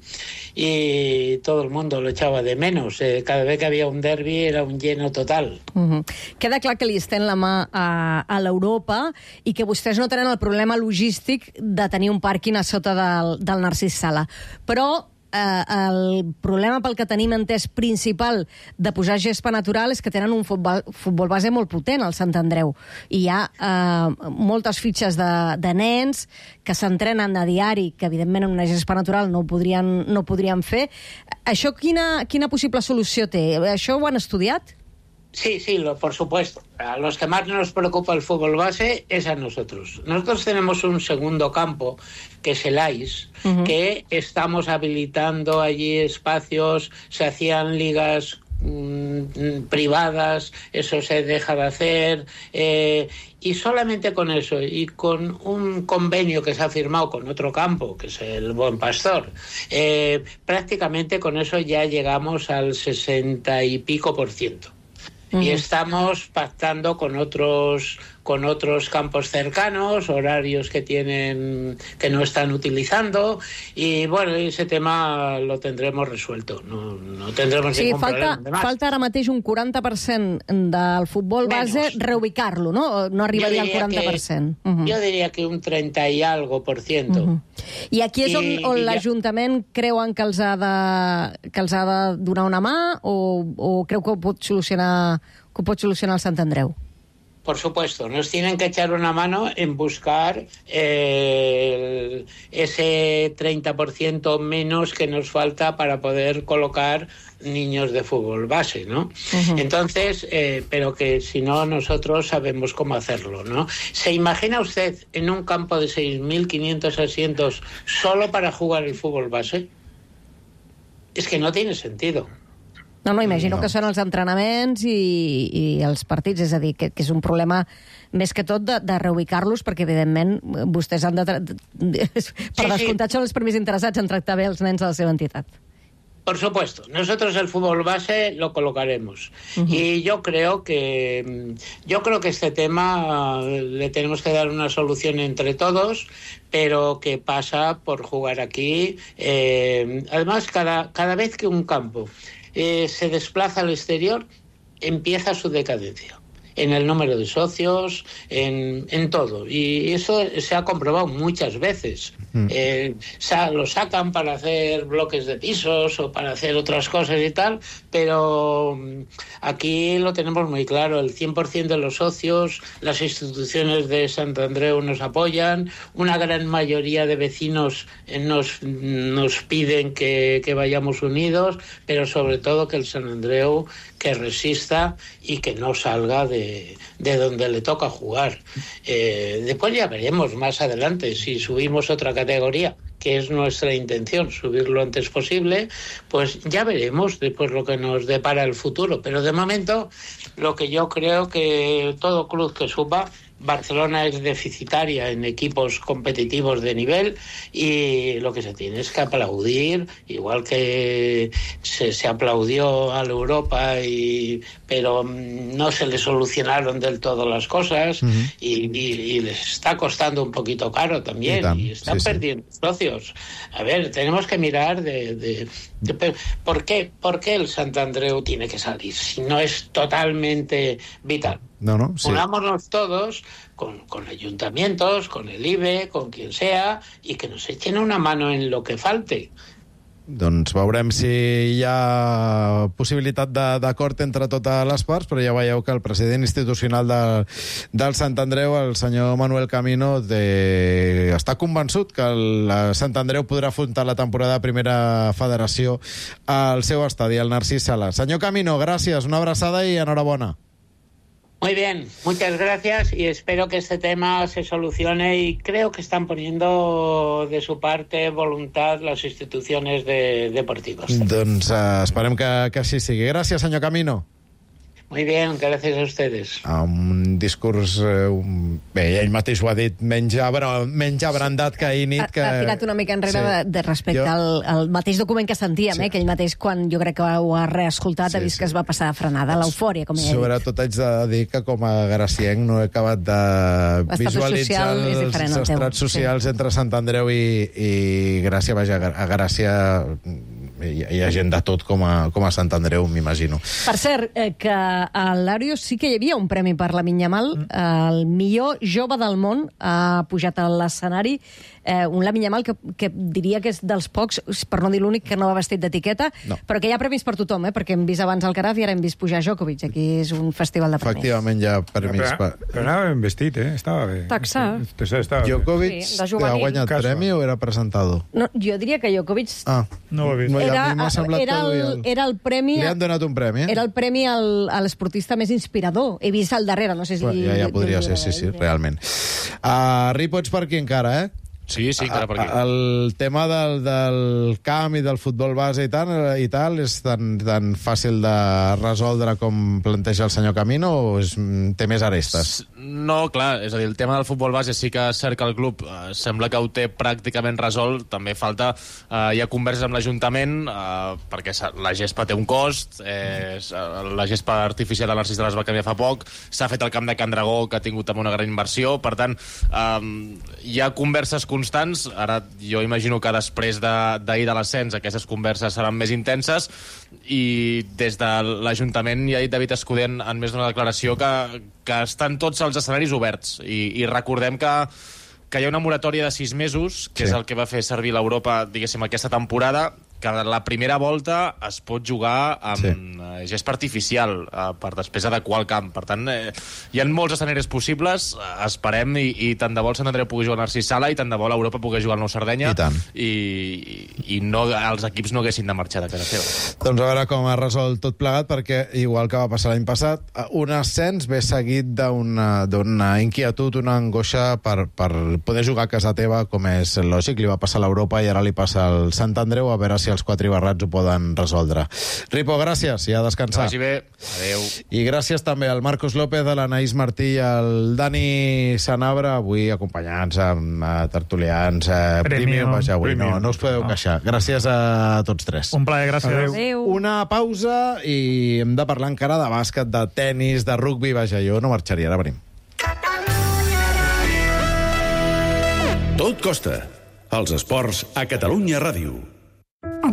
y todo el mundo lo echava de menos. Eh, cada vez que havia un derbi era un lleno total. Uh-huh. Queda clar que li estén la mà a, a l'Europa i que vostès no tenen el problema logístic de tenir un pàrquing a sota del, del Narcís Sala. Però eh, el problema pel que tenim entès principal de posar gespa natural és que tenen un futbol, futbol base molt potent al Sant Andreu. I hi ha eh, moltes fitxes de, de nens que s'entrenen a diari, que evidentment en una gespa natural no ho podrien, no ho podrien fer. Això quina, quina possible solució té? Això ho han estudiat? Sí, sí, lo, por supuesto. A los que más nos preocupa el fútbol base es a nosotros. Nosotros tenemos un segundo campo, que es el A I S, uh-huh. que estamos habilitando allí espacios, se hacían ligas mmm, privadas, eso se deja de hacer, eh, y solamente con eso, y con un convenio que se ha firmado con otro campo, que es el Buen Pastor, eh, prácticamente con eso ya llegamos al sesenta y pico por ciento. Uh-huh. Y estamos pactando con otros con otros campos cercanos, horarios que tienen que no están utilizando, y bueno, ese tema lo tendremos resuelto. No, no tendremos sí, ningún falta, problema. falta ara mateix un quaranta per cent del futbol base, Menos. reubicar-lo, no? No arribaria al quaranta per cent. Que, uh-huh. Jo diria que un trenta i algo per ciento. Uh-huh. I aquí és on, I, on i l'Ajuntament creuen que els, ha de, que els ha de donar una mà, o, o creu que ho pot solucionar, que ho pot solucionar el Sant Andreu? Por supuesto, nos tienen que echar una mano en buscar eh, ese treinta por ciento menos que nos falta para poder colocar niños de fútbol base, ¿no? Uh-huh. Entonces, eh, pero que si no, nosotros sabemos cómo hacerlo, ¿no? ¿Se imagina usted en un campo de seis mil quinientos asientos solo para jugar el fútbol base? Es que no tiene sentido. No, no, imagino no. que són els entrenaments i, i els partits, és a dir, que, que és un problema més que tot de, de reubicar-los, perquè, evidentment, vostès han de... de per sí, descomptat, sí. Són els primers interessats en tractar bé els nens de la seva entitat. Por supuesto, nosotros el fútbol base lo colocaremos. Uh-huh. Y yo creo que yo creo que este tema le tenemos que dar una solución entre todos, pero que pasa por jugar aquí. Eh, además, cada, cada vez que un campo eh, se desplaza al exterior, empieza su decadencia. En el número de socios, en, en todo. Y eso se ha comprobado muchas veces. Mm. Eh, sa- lo sacan para hacer bloques de pisos o para hacer otras cosas y tal, pero aquí lo tenemos muy claro. El cien por ciento de los socios, las instituciones de Sant Andreu nos apoyan, una gran mayoría de vecinos nos, nos piden que, que vayamos unidos, pero sobre todo que el Sant Andreu que resista y que no salga de, de donde le toca jugar. Eh, después ya veremos más adelante si subimos otra categoría, que es nuestra intención, subir lo antes posible, pues ya veremos después lo que nos depara el futuro. Pero de momento, lo que yo creo que todo club que suba, Barcelona es deficitaria en equipos competitivos de nivel y lo que se tiene es que aplaudir, igual que se, se aplaudió a la Europa, y, pero no se le solucionaron del todo las cosas. Uh-huh. y, y, y les está costando un poquito caro también, y, y están sí, perdiendo sí. socios. A ver, tenemos que mirar de... de, de ¿por, qué, ¿Por qué el Sant Andreu tiene que salir si no es totalmente vital? No, no, sí. Unámonos todos con, con ayuntamientos, con el I B E, con quien sea, y que nos echen una mano en lo que falte. Doncs veurem si hi ha possibilitat d'acord entre totes les parts, però ja veieu que el president institucional de, del Sant Andreu, el senyor Manuel Camino, de, està convençut que el Sant Andreu podrà afrontar la temporada de primera federació al seu estadi, el Narcís Sala. Senyor Camino, gràcies, una abraçada i enhorabona. Muy bien, muchas gracias y espero que este tema se solucione, y creo que están poniendo de su parte voluntad las instituciones de, deportivas. Doncs uh, esperem que, que així sigui. Gràcies, senyor Camino. Muy bien, gracias a ustedes. Un discurs... Eh, un... Bé, ell mateix ho ha dit, menys, abra... menys abrandat que ahir nit. Que... Ha, ha tirat una mica enrere sí. de, de respecte jo... al, al mateix document que sentíem, sí. eh, que ell mateix, quan jo crec que ho ha reescoltat, sí, ha vist sí. que es va passar frenada, l'eufòria, com ell ha dit. Sobretot haig de dir que com a gracienc no he acabat de visualitzar els, els estrats socials sí. entre Sant Andreu i, i Gràcia. Vaja, a Gràcia hi, hi ha gent de tot com a, com a Sant Andreu, m'imagino. Per cert, eh, que a l'Àrios sí que hi havia un premi per la Yamal, mm. el millor jove del món ha pujat a l'escenari, eh, un Lamine Yamal que, que diria que és dels pocs, per no dir l'únic, que no va vestit d'etiqueta, no. però que hi ha premis per tothom, eh, perquè hem vist abans Alcaraz i ara hem vist pujar Djokovic. Aquí és un festival de premis. Efectivament hi ha premis. Però, per... però anava ben vestit, eh? Estava bé. Taxa. Djokovic sí, ha guanyat Caso. premi o era presentado? No, jo diria que Djokovic... Ah, no ho he vist. Era, a mi m'ha semblat era, el, el... era el premi... Li han donat un premi, eh? Era el premi al, a l'esportista més inspirador. He vist al darrere, no sé si... Ja, ja podria ser, sí, sí, realment. Uh, Ripoll per aquí encara, eh? Sí, sí, encara per aquí. El tema del, del camp i del futbol base i tal, i tal és tan, tan fàcil de resoldre com planteja el senyor Camino o és, té més arestes? No, clar, és a dir, el tema del futbol base sí que és cert que el club eh, sembla que ho té pràcticament resolt, també falta, eh, hi ha converses amb l'Ajuntament, eh, perquè la gespa té un cost, eh, la gespa artificial de Narcís de les va canviar fa poc, s'ha fet el camp de Can Dragó, que ha tingut també una gran inversió, per tant, eh, hi ha converses constants. Ara jo imagino que després d'ahir de, de l'ascens aquestes converses seran més intenses i des de l'Ajuntament ja ha dit David Escudé en, en més d'una declaració que, que estan tots els escenaris oberts i, i recordem que que hi ha una moratòria de sis mesos, que sí. és el que va fer servir l'Europa, diguéssim, aquesta temporada, que la primera volta es pot jugar amb sí. gespa artificial eh, per després adequar el camp. Per tant, eh, hi ha molts escenaris possibles, eh, esperem, i, i tant de bo el Sant Andreu pugui jugar a Narcís Sala i tant de bo l'Europa pugui jugar al Nou Sardenya i, i, i no, els equips no haguessin de marxar de casa seva. Doncs a veure com ha resolt tot plegat, perquè igual que va passar l'any passat, un ascens ve seguit d'una inquietud, una angoixa per, per poder jugar a casa teva, com és lògic. Li va passar a l'Europa i ara li passa al Sant Andreu, a veure si els quatre barrats ho poden resoldre. Ripo, gràcies, i a descansar. Que vagi bé. Adéu. I gràcies també al Marcos López, a l'Anaïs Martí i al Dani Sanabra, avui acompanyats amb uh, tertulians. Uh, Premium, vaja, avui no, no us podeu no. queixar. Gràcies a tots tres. Un plaer, gràcies. Adéu. Adéu. Una pausa i hem de parlar encara de bàsquet, de tennis, de rugby. Vaja, jo no marxaria, ara venim. Tot costa. Els esports a Catalunya Ràdio.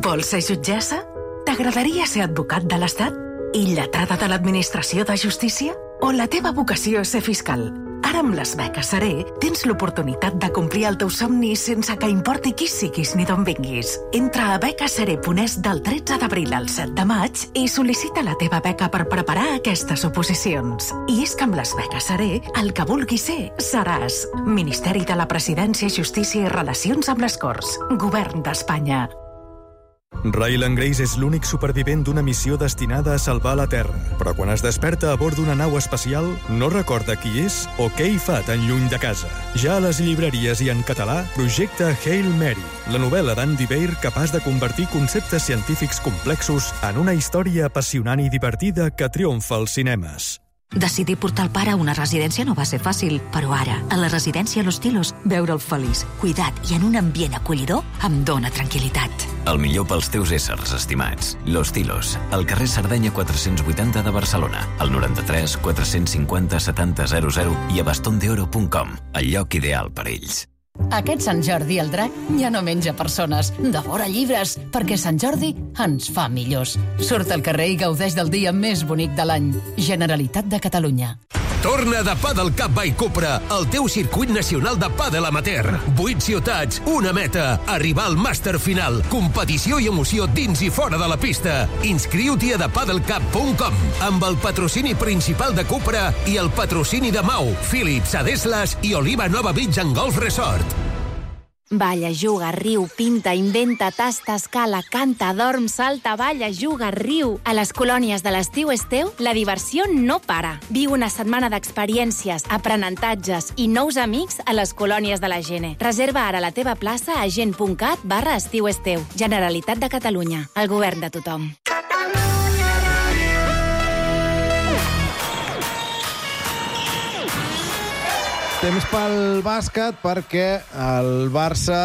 Vols ser jutgessa? T'agradaria ser advocat de l'Estat? I lletrada de l'Administració de Justícia? O la teva vocació és ser fiscal? Ara amb les beques Seré tens l'oportunitat de complir el teu somni sense que importi qui siguis ni d'on vinguis. Entra a beques seré punt es del tretze d'abril al set de maig i sol·licita la teva beca per preparar aquestes oposicions. I és que amb les beques Seré el que vulguis ser seràs. Ministeri de la Presidència, Justícia i Relacions amb les Corts. Govern d'Espanya. Ryland Grace és l'únic supervivent d'una missió destinada a salvar la Terra. Però quan es desperta a bord d'una nau espacial, no recorda qui és o què hi fa tan lluny de casa. Ja a les llibreries i en català, projecta Hail Mary, la novel·la d'Andy Weir capaç de convertir conceptes científics complexos en una història apassionant i divertida que triomfa als cinemes. Decidir portar el pare a una residència no va ser fàcil, però ara, a la residència Los Tilos, veure'l feliç, cuidat i en un ambient acollidor em dóna tranquil·litat. El millor pels teus éssers estimats. Los Tilos, al carrer Sardenya quatre-cents vuitanta de Barcelona, al noranta-tres quatre-cents cinquanta setanta zero zero i a bastondeoro punt com, el lloc ideal per ells. Aquest Sant Jordi el drac ja no menja persones, devora llibres, perquè Sant Jordi ens fa millors. Surt al carrer i gaudeix del dia més bonic de l'any. Generalitat de Catalunya. Torna de Padel Cup by Cupra, el teu circuit nacional de pàdel amateur. Vuit ciutats, una meta, arribar al màster final. Competició i emoció dins i fora de la pista. Inscriu-t'hi a the padel cup punt com amb el patrocini principal de Cupra i el patrocini de Mau, Philips, Adeslas i Oliva Nova Beach and Golf Resort. Balla, juga, riu, pinta, inventa, tasta, escala, canta, dorm, salta, balla, juga, riu. A les colònies de l'estiu Esteu, la diversió no para. Viu una setmana d'experiències, aprenentatges i nous amics a les colònies de la Gene. Reserva ara la teva plaça a gen punt cat barra estiu Esteu. Generalitat de Catalunya. El govern de tothom. Temps pel bàsquet perquè el Barça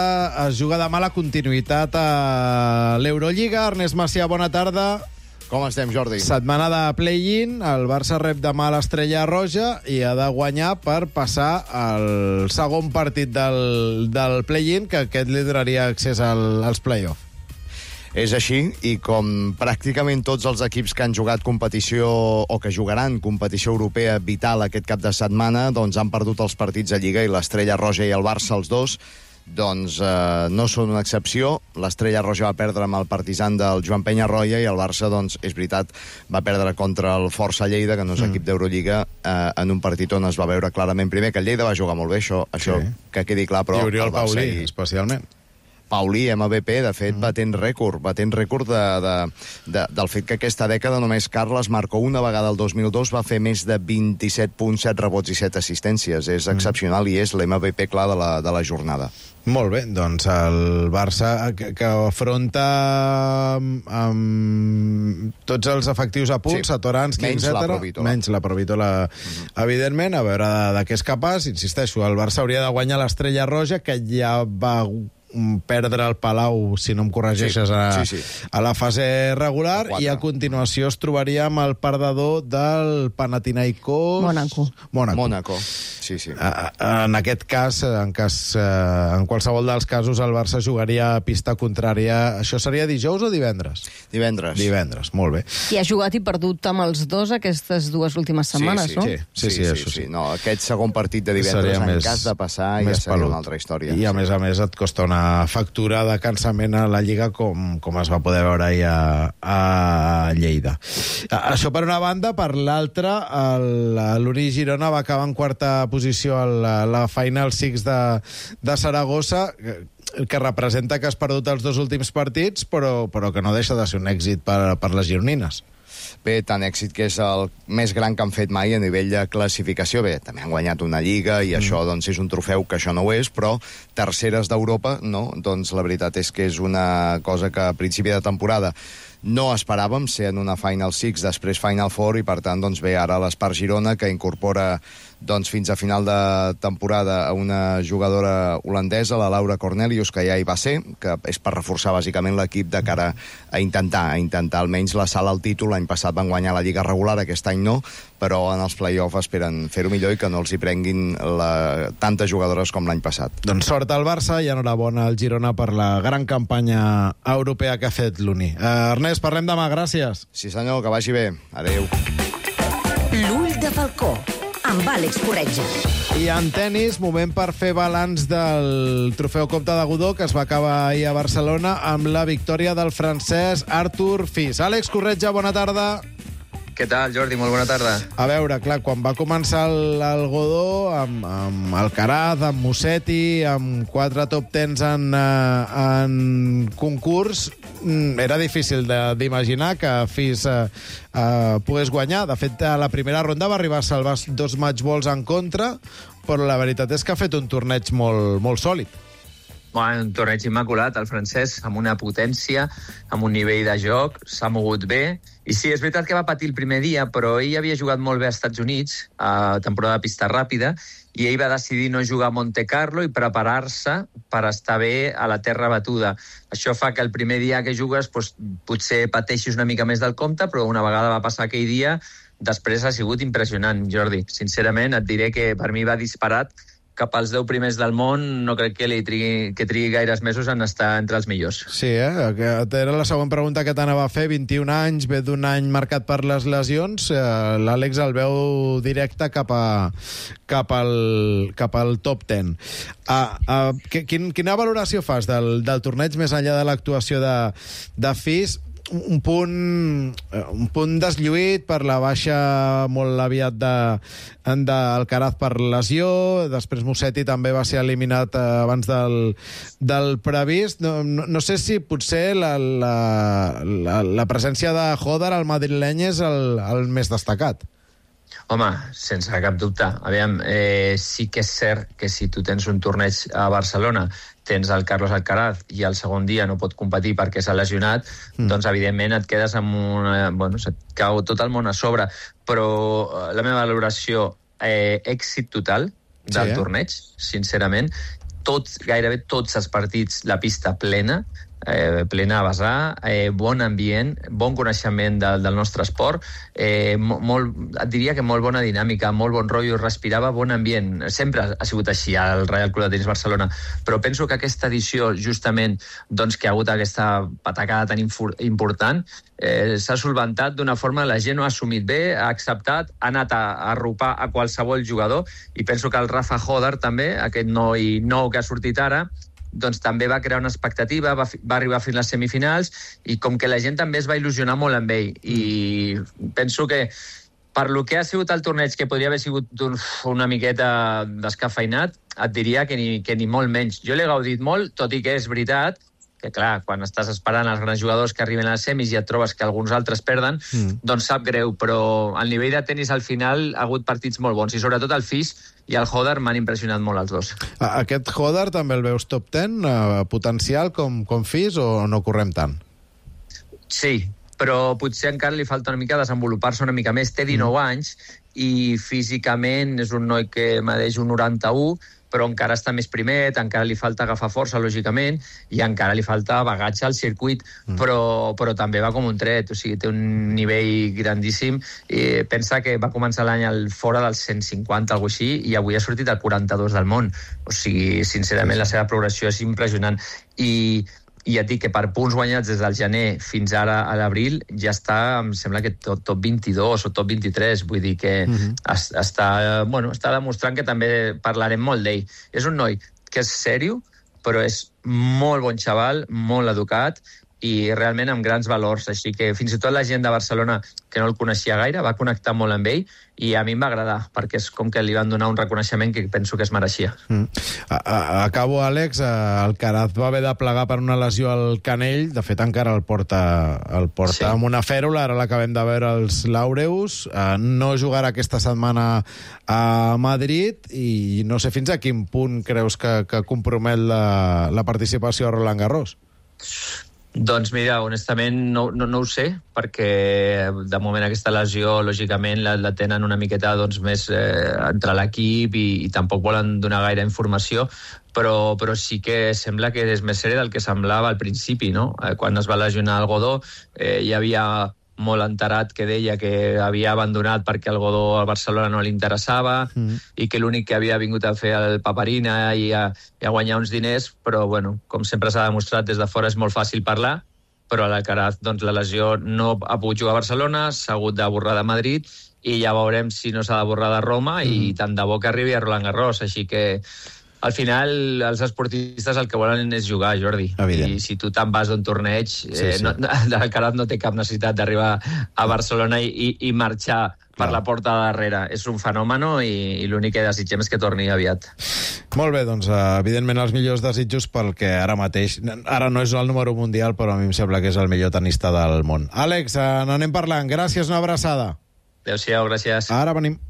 es juga demà la continuïtat a l'Eurolliga. Ernest Macià, bona tarda. Com estem, Jordi? Setmana de play-in. El Barça rep demà l'Estrella Roja i ha de guanyar per passar al segon partit del, del play-in, que aquest li donaria accés al, als play-off. És així, i com pràcticament tots els equips que han jugat competició o que jugaran competició europea vital aquest cap de setmana, doncs han perdut els partits a Lliga, i l'Estrella Roja i el Barça, els dos, doncs eh, no són una excepció. L'Estrella Roja va perdre amb el Partizan del Joan Peñarroya i el Barça, doncs, és veritat, va perdre contra el Força Lleida, que no és mm. equip d'Eurolliga, eh, en un partit on es va veure clarament primer que el Lleida va jugar molt bé, això, això sí. que quedi clar, però I Oriol el Barça Paulí, i... especialment. Paulí, M V P, de fet, batent rècord, batent rècord de, de, de, del fet que aquesta dècada només Carles Marcó una vegada el dos mil dos va fer més de vint-i-set punts, set rebots i set assistències. És excepcional i és l'M V P clar de la, de la jornada. Molt bé, doncs el Barça que, que afronta amb, amb tots els efectius a punt, sí. Satoranski, menys etcètera. La Provítola. Menys la Provítola, mm-hmm. evidentment, a veure de, de què és capaç. Insisteixo, el Barça hauria de guanyar l'Estrella Roja, que ja va perdre el Palau, si no em corregeixes, sí, a, sí, sí. a la fase regular, i a continuació es trobaria amb el perdedor del Panathinaikos... Mónaco. Mónaco. Mónaco, sí, sí. A, a, en aquest cas, en, cas eh, en qualsevol dels casos, el Barça jugaria a pista contrària. Això seria dijous o divendres? Divendres. Divendres, molt bé. I ha jugat i perdut amb els dos aquestes dues últimes setmanes, sí, sí, no? Sí, sí, sí, sí, sí, sí, sí. No, aquest segon partit de divendres, seria en més, cas de passar, ja seria pelut. Una altra història. I a sí. més a més et costa una factura de cansament a la Lliga com, com es va poder veure ahir a, a Lleida. Això per una banda. Per l'altra, l'Uri Girona va acabar en quarta posició a la, la Final Six de, de Saragossa, que, que representa que has perdut els dos últims partits, però, però que no deixa de ser un èxit per, per les gironines. Bé, tant èxit que és el més gran que han fet mai a nivell de classificació. Bé, també han guanyat una Lliga i mm. això doncs, és un trofeu que això no ho és, però terceres d'Europa, no? Doncs la veritat és que és una cosa que a principi de temporada no esperàvem, ser en una Final Six, després Final Four, i per tant doncs, ve ara l'Espart Girona, que incorpora doncs, fins a final de temporada a una jugadora holandesa, la Laura Cornelius, que ja hi va ser, que és per reforçar bàsicament l'equip de cara a intentar, a intentar almenys la sala al títol. L'any passat van guanyar la Lliga regular, aquest any no, però en els play-off esperen fer-ho millor i que no els hi prenguin la... tantes jugadores com l'any passat. Doncs sort al Barça i enhorabona al Girona per la gran campanya europea que ha fet l'Uni. Uh, Ernest, parlem demà, gràcies. Sí senyor, que vagi bé. Adéu. L'ull de falcó, amb Àlex Corretja. I en tenis, moment per fer balanç del trofeu Comte de Godó, que es va acabar ahir a Barcelona amb la victòria del francès Arthur Fils. Àlex Corretja, bona tarda. Què tal, Jordi? Molt bona tarda. A veure, clar, quan va començar el, el Godó, amb, amb Alcaraz, amb Musetti, amb quatre top tens en, uh, en concurs, era difícil d'imaginar que Fils uh, uh, pogués guanyar. De fet, a la primera ronda va arribar a salvar dos match balls en contra, però la veritat és que ha fet un torneig molt, molt sòlid. Bueno, un torneig immaculat, el francès, amb una potència, amb un nivell de joc, s'ha mogut bé. I sí, és veritat que va patir el primer dia, però ell havia jugat molt bé als Estats Units, a temporada de pista ràpida, i ell va decidir no jugar a Monte Carlo i preparar-se per estar bé a la terra batuda. Això fa que el primer dia que jugues doncs, potser pateixis una mica més del compte, però una vegada va passar aquell dia, després ha sigut impressionant, Jordi. Sincerament, et diré que per mi va disparat cap als deu primers del món, no crec que, li trigui, que trigui gaires mesos en estar entre els millors. Sí, eh? Era la següent pregunta que t'anava a fer. vint-i-un anys, ve d'un any marcat per les lesions. L'Àlex el veu directe cap, a, cap, al, cap al top deu. Ah, ah, quin, quina valoració fas del, del torneig més enllà de l'actuació de, de Fils? Un punt, un punt deslluït per la baixa molt aviat d'Alcaraz per lesió, després Musetti també va ser eliminat abans del, del previst. No, no, no sé si potser la, la, la, la presència de Hodar al madrileny és el, el més destacat. Home, sense cap dubte. Aviam, eh, sí que és cert que si tu tens un torneig a Barcelona, tens el Carlos Alcaraz i el segon dia no pot competir perquè s'ha lesionat, mm. doncs evidentment et quedes amb una... Bueno, se't cau tot el món a sobre. Però la meva valoració, eh, èxit total del sí, eh? torneig, sincerament. Tots, gairebé tots els partits, la pista plena, eh, plena a vessar, eh, bon ambient, bon coneixement del, del nostre esport, eh, molt, et diria que molt bona dinàmica, molt bon rotllo, respirava bon ambient. Sempre ha sigut així al Reial Club de Tenis Barcelona, però penso que aquesta edició, justament, doncs, que ha hagut aquesta patacada tan important, eh, s'ha solventat d'una forma, la gent ho ha assumit bé, ha acceptat, ha anat a, a arropar a qualsevol jugador, i penso que el Rafa Hodar també, aquest noi nou que ha sortit ara, doncs també va crear una expectativa, va, va arribar fins a les semifinals, i com que la gent també es va il·lusionar molt amb ell, i penso que Per lo que ha sigut el torneig, que podria haver sigut una miqueta descafeinat, et diria que ni, que ni molt menys. Jo l'he gaudit molt, tot i que és veritat que, clar, quan estàs esperant els grans jugadors que arriben a les semis i et trobes que alguns altres perden, mm. doncs sap greu, però al nivell de tennis al final ha hagut partits molt bons, i sobretot el Fis i el Hodder m'han impressionat molt els dos. Aquest Hodder també el veus top ten, eh, potencial com, com Fis, o no correm tant? Sí, però potser encara li falta una mica desenvolupar-se una mica més. Té dinou mm. anys i físicament és un noi que medeix un noranta-u, però encara està més primet, encara li falta agafar força, lògicament, i encara li falta bagatge al circuit, mm. però, però també va com un tret, o sigui, té un nivell grandíssim. I pensa que va començar l'any al fora dels cent cinquanta, alguna cosa així, i avui ha sortit al quaranta-dos del món. O sigui, sincerament, la seva progressió és impressionant. I i ja et dic que per punts guanyats des del gener fins ara a l'abril ja està, em sembla que top, top vint-i-dos o top vint-i-tres, vull dir que mm-hmm. es, està, bueno, està demostrant que també parlarem molt d'ell. És un noi que és sèrio, però és molt bon xaval, molt educat i realment amb grans valors, així que fins i tot la gent de Barcelona, que no el coneixia gaire, va connectar molt amb ell i a mi em va agradar, perquè és com que li van donar un reconeixement que penso que es mereixia. Mm. A, a, acabo, Àlex. Alcaraz va haver de plegar per una lesió al canell, de fet encara el porta, el porta sí. amb una fèrula, ara l'acabem de veure als Laureus, uh, no jugarà aquesta setmana a Madrid i no sé fins a quin punt creus que, que compromet la, la participació a Roland Garros. Doncs mira, honestament no, no, no ho sé, perquè de moment aquesta lesió, lògicament, la, la tenen una miqueta doncs, més eh, entre l'equip i, i tampoc volen donar gaire informació, però, però sí que sembla que és més sèrie del que semblava al principi, no? Eh, quan es va lesionar el Godó, eh, hi havia molt enterat que deia que havia abandonat perquè el Godó al Barcelona no li interessava mm. i que l'únic que havia vingut a fer el Paperina i a, i a guanyar uns diners, però bueno, com sempre s'ha demostrat des de fora és molt fàcil parlar, però a l'Alcaraz doncs, la lesió no ha pogut jugar a Barcelona, s'ha hagut de borrar de Madrid i ja veurem si no s'ha de borrar de Roma mm. i tant de bo que arribi a Roland Garros, així que al final, els esportistes el que volen és jugar, Jordi. Evident. I si tu te'n vas d'un torneig, sí, sí. Eh, no, l'Alcaraz no té cap necessitat d'arribar a Barcelona i, i, i marxar per no. la porta de darrere. És un fenomen i, i l'únic que desitgem és que torni aviat. Molt bé, doncs, evidentment els millors desitjos pel que ara mateix... Ara no és el número mundial, però a mi em sembla que és el millor tenista del món. Àlex, n'anem parlant. Gràcies, una abraçada. Adéu-siau, gràcies. Ara venim.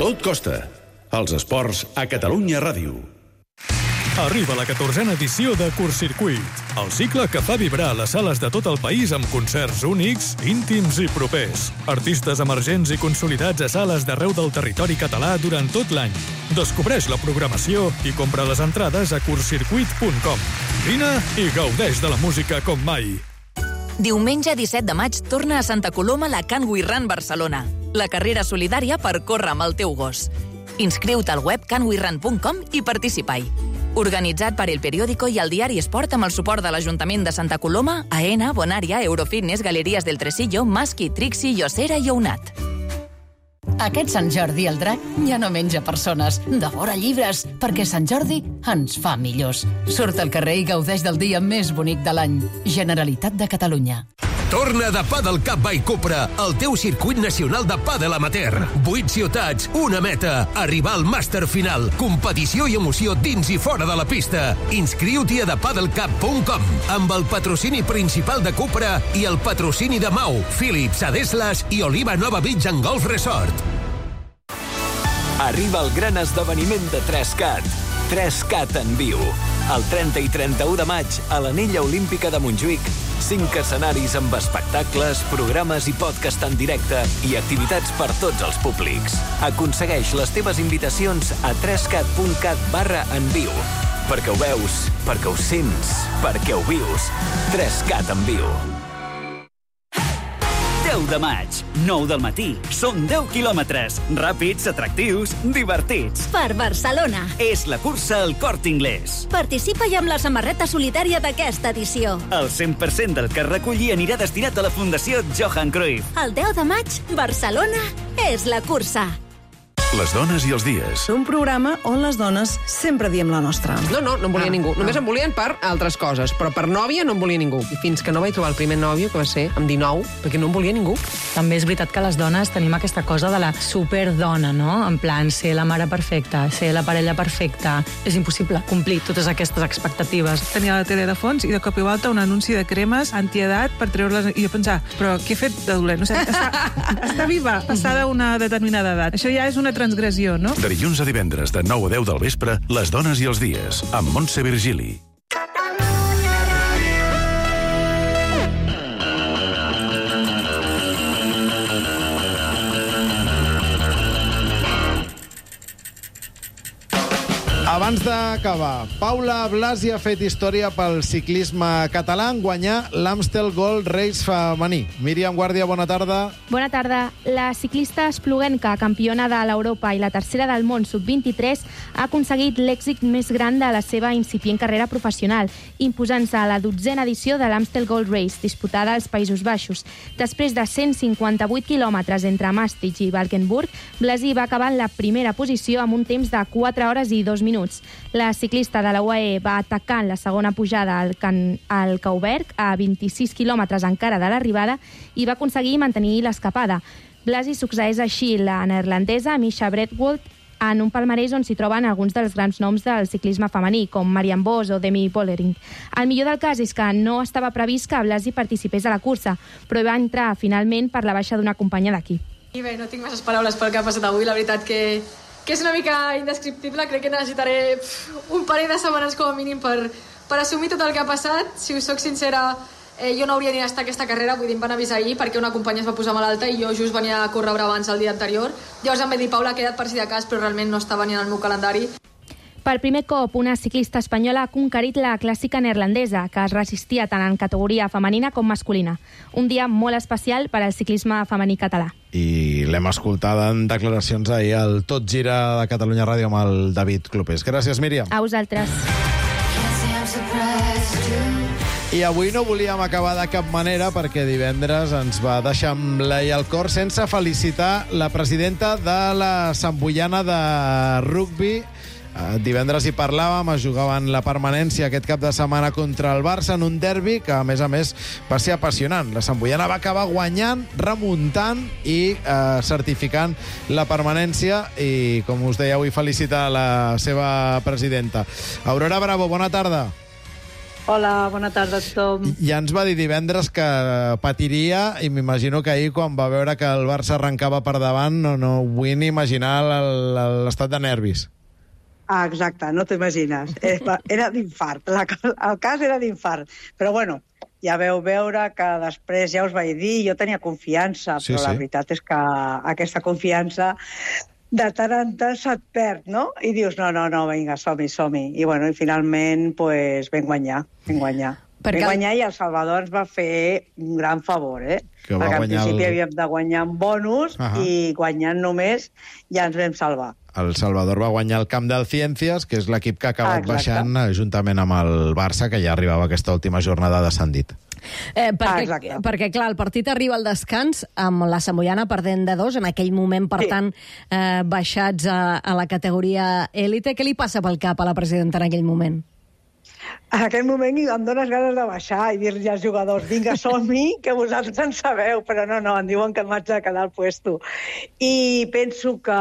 Tot costa. Els esports a Catalunya Ràdio. Arriba la catorzena edició de Curtcircuit, el cicle que fa vibrar les sales de tot el país amb concerts únics, íntims i propers. Artistes emergents i consolidats a sales d'arreu del territori català durant tot l'any. Descobreix la programació i compra les entrades a curtcircuit punt com. Vine i gaudeix de la música com mai. Diumenge disset de maig torna a Santa Coloma la Can We Run Barcelona, la carrera solidària per córrer amb el teu gos. Inscriu-te al web can we run punt com i participa-hi. Organitzat per El Periódico i el diari Esport amb el suport de l'Ajuntament de Santa Coloma, AENA, Bonària, Eurofitness, Galeries del Tresillo, Masqui, Trixi, Yosera i Ounat. Aquest Sant Jordi el drac ja no menja persones, devora llibres, perquè Sant Jordi ens fa millors. Surt al carrer i gaudeix del dia més bonic de l'any. Generalitat de Catalunya. Torna de Padel Cup by Cupra, el teu circuit nacional de pàdel amateur. Vuit ciutats, una meta, arribar al màster final. Competició i emoció dins i fora de la pista. Inscriu-t'hi a the padel cup punt com amb el patrocini principal de Cupra i el patrocini de Mau, Philips, Adeslas i Oliva Nova Beach and Golf Resort. Arriba el gran esdeveniment de tres cat. tres cat en viu. El trenta i trenta-u de maig, a l'Anella Olímpica de Montjuïc, cinc escenaris amb espectacles, programes i podcast en directe i activitats per tots els públics. Aconsegueix les teves invitacions a tres cat punt cat barra en viu. Perquè ho veus, perquè ho sents, perquè ho vius. tres cat en viu. deu de maig, nou del matí. Són deu quilòmetres, ràpids, atractius, divertits. Per Barcelona. És la cursa al Corte Inglés. Participa-hi amb la samarreta solidària d'aquesta edició. El cent per cent del que es reculli anirà destinat a la Fundació Johan Cruyff. El deu de maig, Barcelona és la cursa. Les dones i els dies. Un programa on les dones sempre diem la nostra. No, no, no em volia ah, ningú. Només ah. em volien per altres coses, però per nòvia no em volia ningú. I fins que no vaig trobar el primer nòvio, que va ser amb dinou, perquè no em volia ningú. També és veritat que les dones tenim aquesta cosa de la superdona, no? En plan, ser la mare perfecta, ser la parella perfecta. És impossible complir totes aquestes expectatives. Tenia la tele de fons i de cop i volta un anunci de cremes antiedat per treure-les... I jo pensar, però què he fet de dolent? No sé, està, està viva, passada una determinada edat. Això ja és una transgressió, no? De dilluns a divendres, de nou a deu del vespre, Les dones i els dies, amb Montse Virgili. Abans d'acabar, Paula Blasi ha fet història pel ciclisme català en guanyar l'Amstel Gold Race femení. Míriam Guàrdia, bona tarda. Bona tarda. La ciclista espluguenca, campiona de l'Europa i la tercera del món sub vint-i-tres, ha aconseguit l'èxit més gran de la seva incipient carrera professional, imposant-se a la dotzena edició de l'Amstel Gold Race, disputada als Països Baixos. Després de cent cinquanta-vuit quilòmetres entre Maastricht i Valkenburg, Blasi va acabar en la primera posició amb un temps de quatre hores i dos minuts. La ciclista de la U A E va atacar en la segona pujada al, Can, al Cauberg a vint-i-sis quilòmetres encara de l'arribada i va aconseguir mantenir l'escapada. Blasi succeeix així la neerlandesa Misha Bredwold en un palmarès on s'hi troben alguns dels grans noms del ciclisme femení, com Marianne Vos o Demi Vollering. El millor del cas és que no estava previst que Blasi participés a la cursa, però va entrar finalment per la baixa d'una companya d'equip. I bé, no tinc masses paraules pel que ha passat avui, la veritat que que és una mica indescriptible. Crec que necessitaré pff, un parell de setmanes com a mínim per, per assumir tot el que ha passat. Si us soc sincera, eh, jo no hauria ni d'estar aquesta carrera, vull dir, em van avisar ahir perquè una companya es va posar malalta i jo just venia a córrer abans el dia anterior. Llavors em va dir, Paula, ha quedat per si de cas, però realment no estava ni en el meu calendari. Per primer cop, una ciclista espanyola ha conquerit la clàssica neerlandesa, que es resistia tant en categoria femenina com masculina. Un dia molt especial per al ciclisme femení català. I l'hem escoltat en declaracions ahir al Tot Gira de Catalunya Ràdio amb el David Clopés. Gràcies, Míriam. A vosaltres. I avui no volíem acabar de cap manera perquè divendres ens va deixar amb l'ai al cor sense felicitar la presidenta de la Santboiana de rugbi. Divendres hi parlàvem, es jugaven la permanència aquest cap de setmana contra el Barça en un derbi que, a més a més, va ser apassionant. La Santboiana va acabar guanyant, remuntant i eh, certificant la permanència i, com us deia, vull felicitar la seva presidenta. Aurora Bravo, bona tarda. Hola, bona tarda a tothom. Ja ens va dir divendres que patiria i m'imagino que ahir, quan va veure que el Barça arrencava per davant, no, no vull ni imaginar l'estat de nervis. Ah, exacte, no t'imagines. Era d'infart, el cas era d'infart. Però bueno, ja veu veure que després ja us vaig dir, jo tenia confiança, sí, però sí. La veritat és que aquesta confiança de tant en tant se't perd, no? I dius, no, no, no, vinga, som-hi, som-hi. I bueno, i finalment, pues, vam guanyar, vam guanyar. Perquè... Vam guanyar i el Salvador ens va fer un gran favor, eh? Que perquè al principi el... havíem de guanyar amb bonus uh -huh. i guanyant només ja ens vam salvar. El Salvador va guanyar el camp del Ciències, que és l'equip que ha acabat ah, baixant juntament amb el Barça, que ja arribava a aquesta última jornada descendit. Eh, perquè, ah, perquè, clar, el partit arriba al descans amb la Santboiana perdent de dos, en aquell moment, per sí. tant, eh, baixats a, a la categoria élite. Què li passa pel cap a la presidenta en aquell moment? En aquell moment em dones ganes de baixar i dir-li als jugadors, vinga, som-hi, que vosaltres en sabeu, però no, no, em diuen que m'haig de quedar al puesto. I penso que,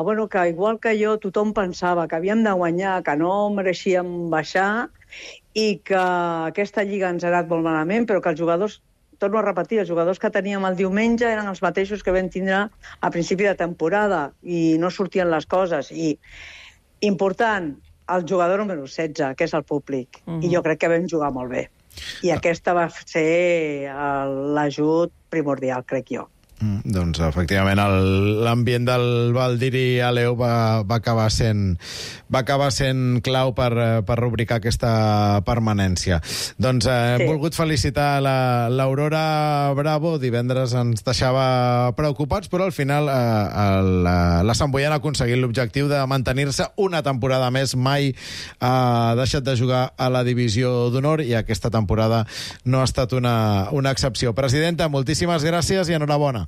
bueno, que igual que jo, tothom pensava que havíem de guanyar, que no mereixíem baixar i que aquesta lliga ens ha anat molt malament, però que els jugadors, torno a repetir, els jugadors que teníem el diumenge eren els mateixos que vam tindre a principi de temporada i no sortien les coses. I, important, el jugador número setze, que és el públic. Uh-huh. I jo crec que vam jugar molt bé. I aquesta va ser l'ajut primordial, crec jo. Mm, doncs, efectivament, l'ambient del Valdiri Aleu va, va, acabar sent, va acabar sent clau per, per rubricar aquesta permanència. Doncs eh, sí. He volgut felicitar l'Aurora Bravo. Divendres ens deixava preocupats, però al final eh, la, la Santboiana ha aconseguit l'objectiu de mantenir-se una temporada més. Mai ha deixat de jugar a la divisió d'honor i aquesta temporada no ha estat una, una excepció. Presidenta, moltíssimes gràcies i enhorabona.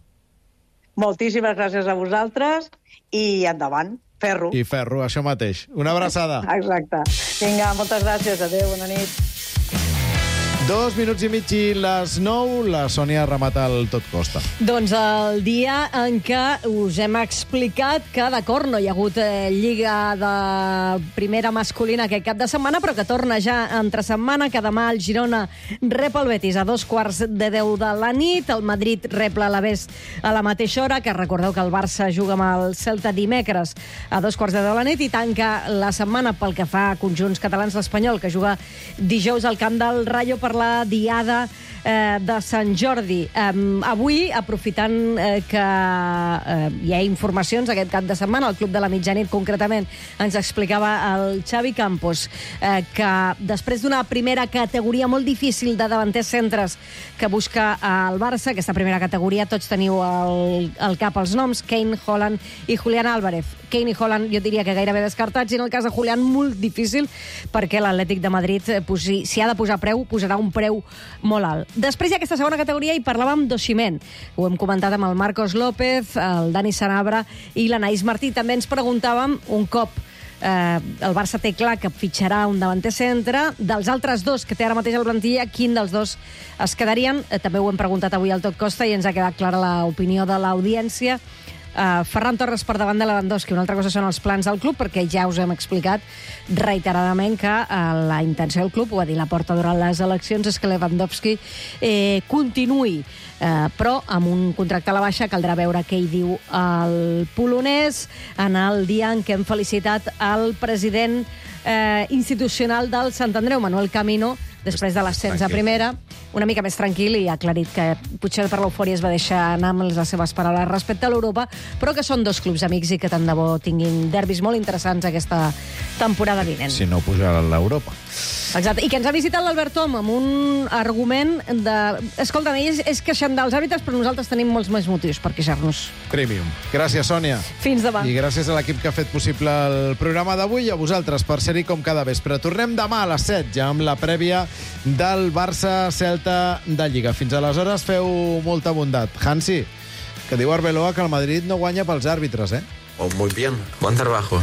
Moltíssimes gràcies a vosaltres i endavant, ferro. I ferro, això mateix. Una abraçada. Exacte. Vinga, moltes gràcies. Adéu, bona nit. Dos minuts i mig i les nou, la Sònia remata el Tot Costa. Doncs el dia en què us hem explicat que, d'acord, no hi ha hagut eh, lliga de primera masculina aquest cap de setmana, però que torna ja entre setmana, que demà el Girona rep el Betis a dos quarts de deu de la nit, el Madrid rep l'Alavés a la mateixa hora, que recordeu que el Barça juga amb el Celta dimecres a dos quarts de deu de la nit, i tanca la setmana pel que fa a conjunts catalans, l'Espanyol, que juga dijous al camp del Rayo per la diada eh, de Sant Jordi. Eh, avui, aprofitant eh, que eh, hi ha informacions aquest cap de setmana, el Club de la Mitjanit concretament ens explicava el Xavi Campos eh, que després d'una primera categoria molt difícil de davanters centres que busca el Barça, aquesta primera categoria tots teniu al, al cap els noms, Kane, Haaland i Julián Álvarez. Kane i Haaland jo diria que gairebé descartats, i en el cas de Julián molt difícil, perquè l'Atlètic de Madrid, si, si ha de posar preu, posarà un preu molt alt. Després hi ha aquesta segona categoria i parlàvem d'Osimhen. Ho hem comentat amb el Marcos López, el Dani Sanabra i l'Anaïs Martí. També ens preguntàvem, un cop eh, el Barça té clar que fitxarà un davanter centre, dels altres dos que té ara mateix el plantilla, quin dels dos es quedarien? Eh, també ho hem preguntat avui al Tot Costa i ens ha quedat clara l'opinió de l'audiència. Uh, Ferran Torres per davant de Lewandowski. Una altra cosa són els plans del club, perquè ja us hem explicat reiteradament que uh, la intenció del club, ho va dir Laporta durant les eleccions, és que Lewandowski eh, continuï, uh, però amb un contracte a la baixa. Caldrà veure què hi diu el polonès en el dia en què hem felicitat el president eh, institucional del Sant Andreu, Manuel Camino, després de l'ascens a primera, una mica més tranquil, i ha aclarit que potser per l'eufòria es va deixar anar amb les seves paraules respecte a l'Europa, però que són dos clubs amics i que tant de bo tinguin derbis molt interessants aquesta temporada vinent. Si no pujarà a l'Europa. Exacte, i que ens ha visitat l'Albert Tom amb un argument de... Escolta, ells és queixant dels àrbitres, però nosaltres tenim molts més motius per queixar-nos. Premium. Gràcies, Sònia. Fins demà. I gràcies a l'equip que ha fet possible el programa d'avui i a vosaltres per ser-hi com cada vespre. Tornem demà a les set, ja amb la prèvia del Barça-Celta de Lliga. Fins aleshores, feu molta bondat. Hansi, que diu Arbeloa que el Madrid no guanya pels àrbitres, eh? Oh, muy bien. Buen trabajo.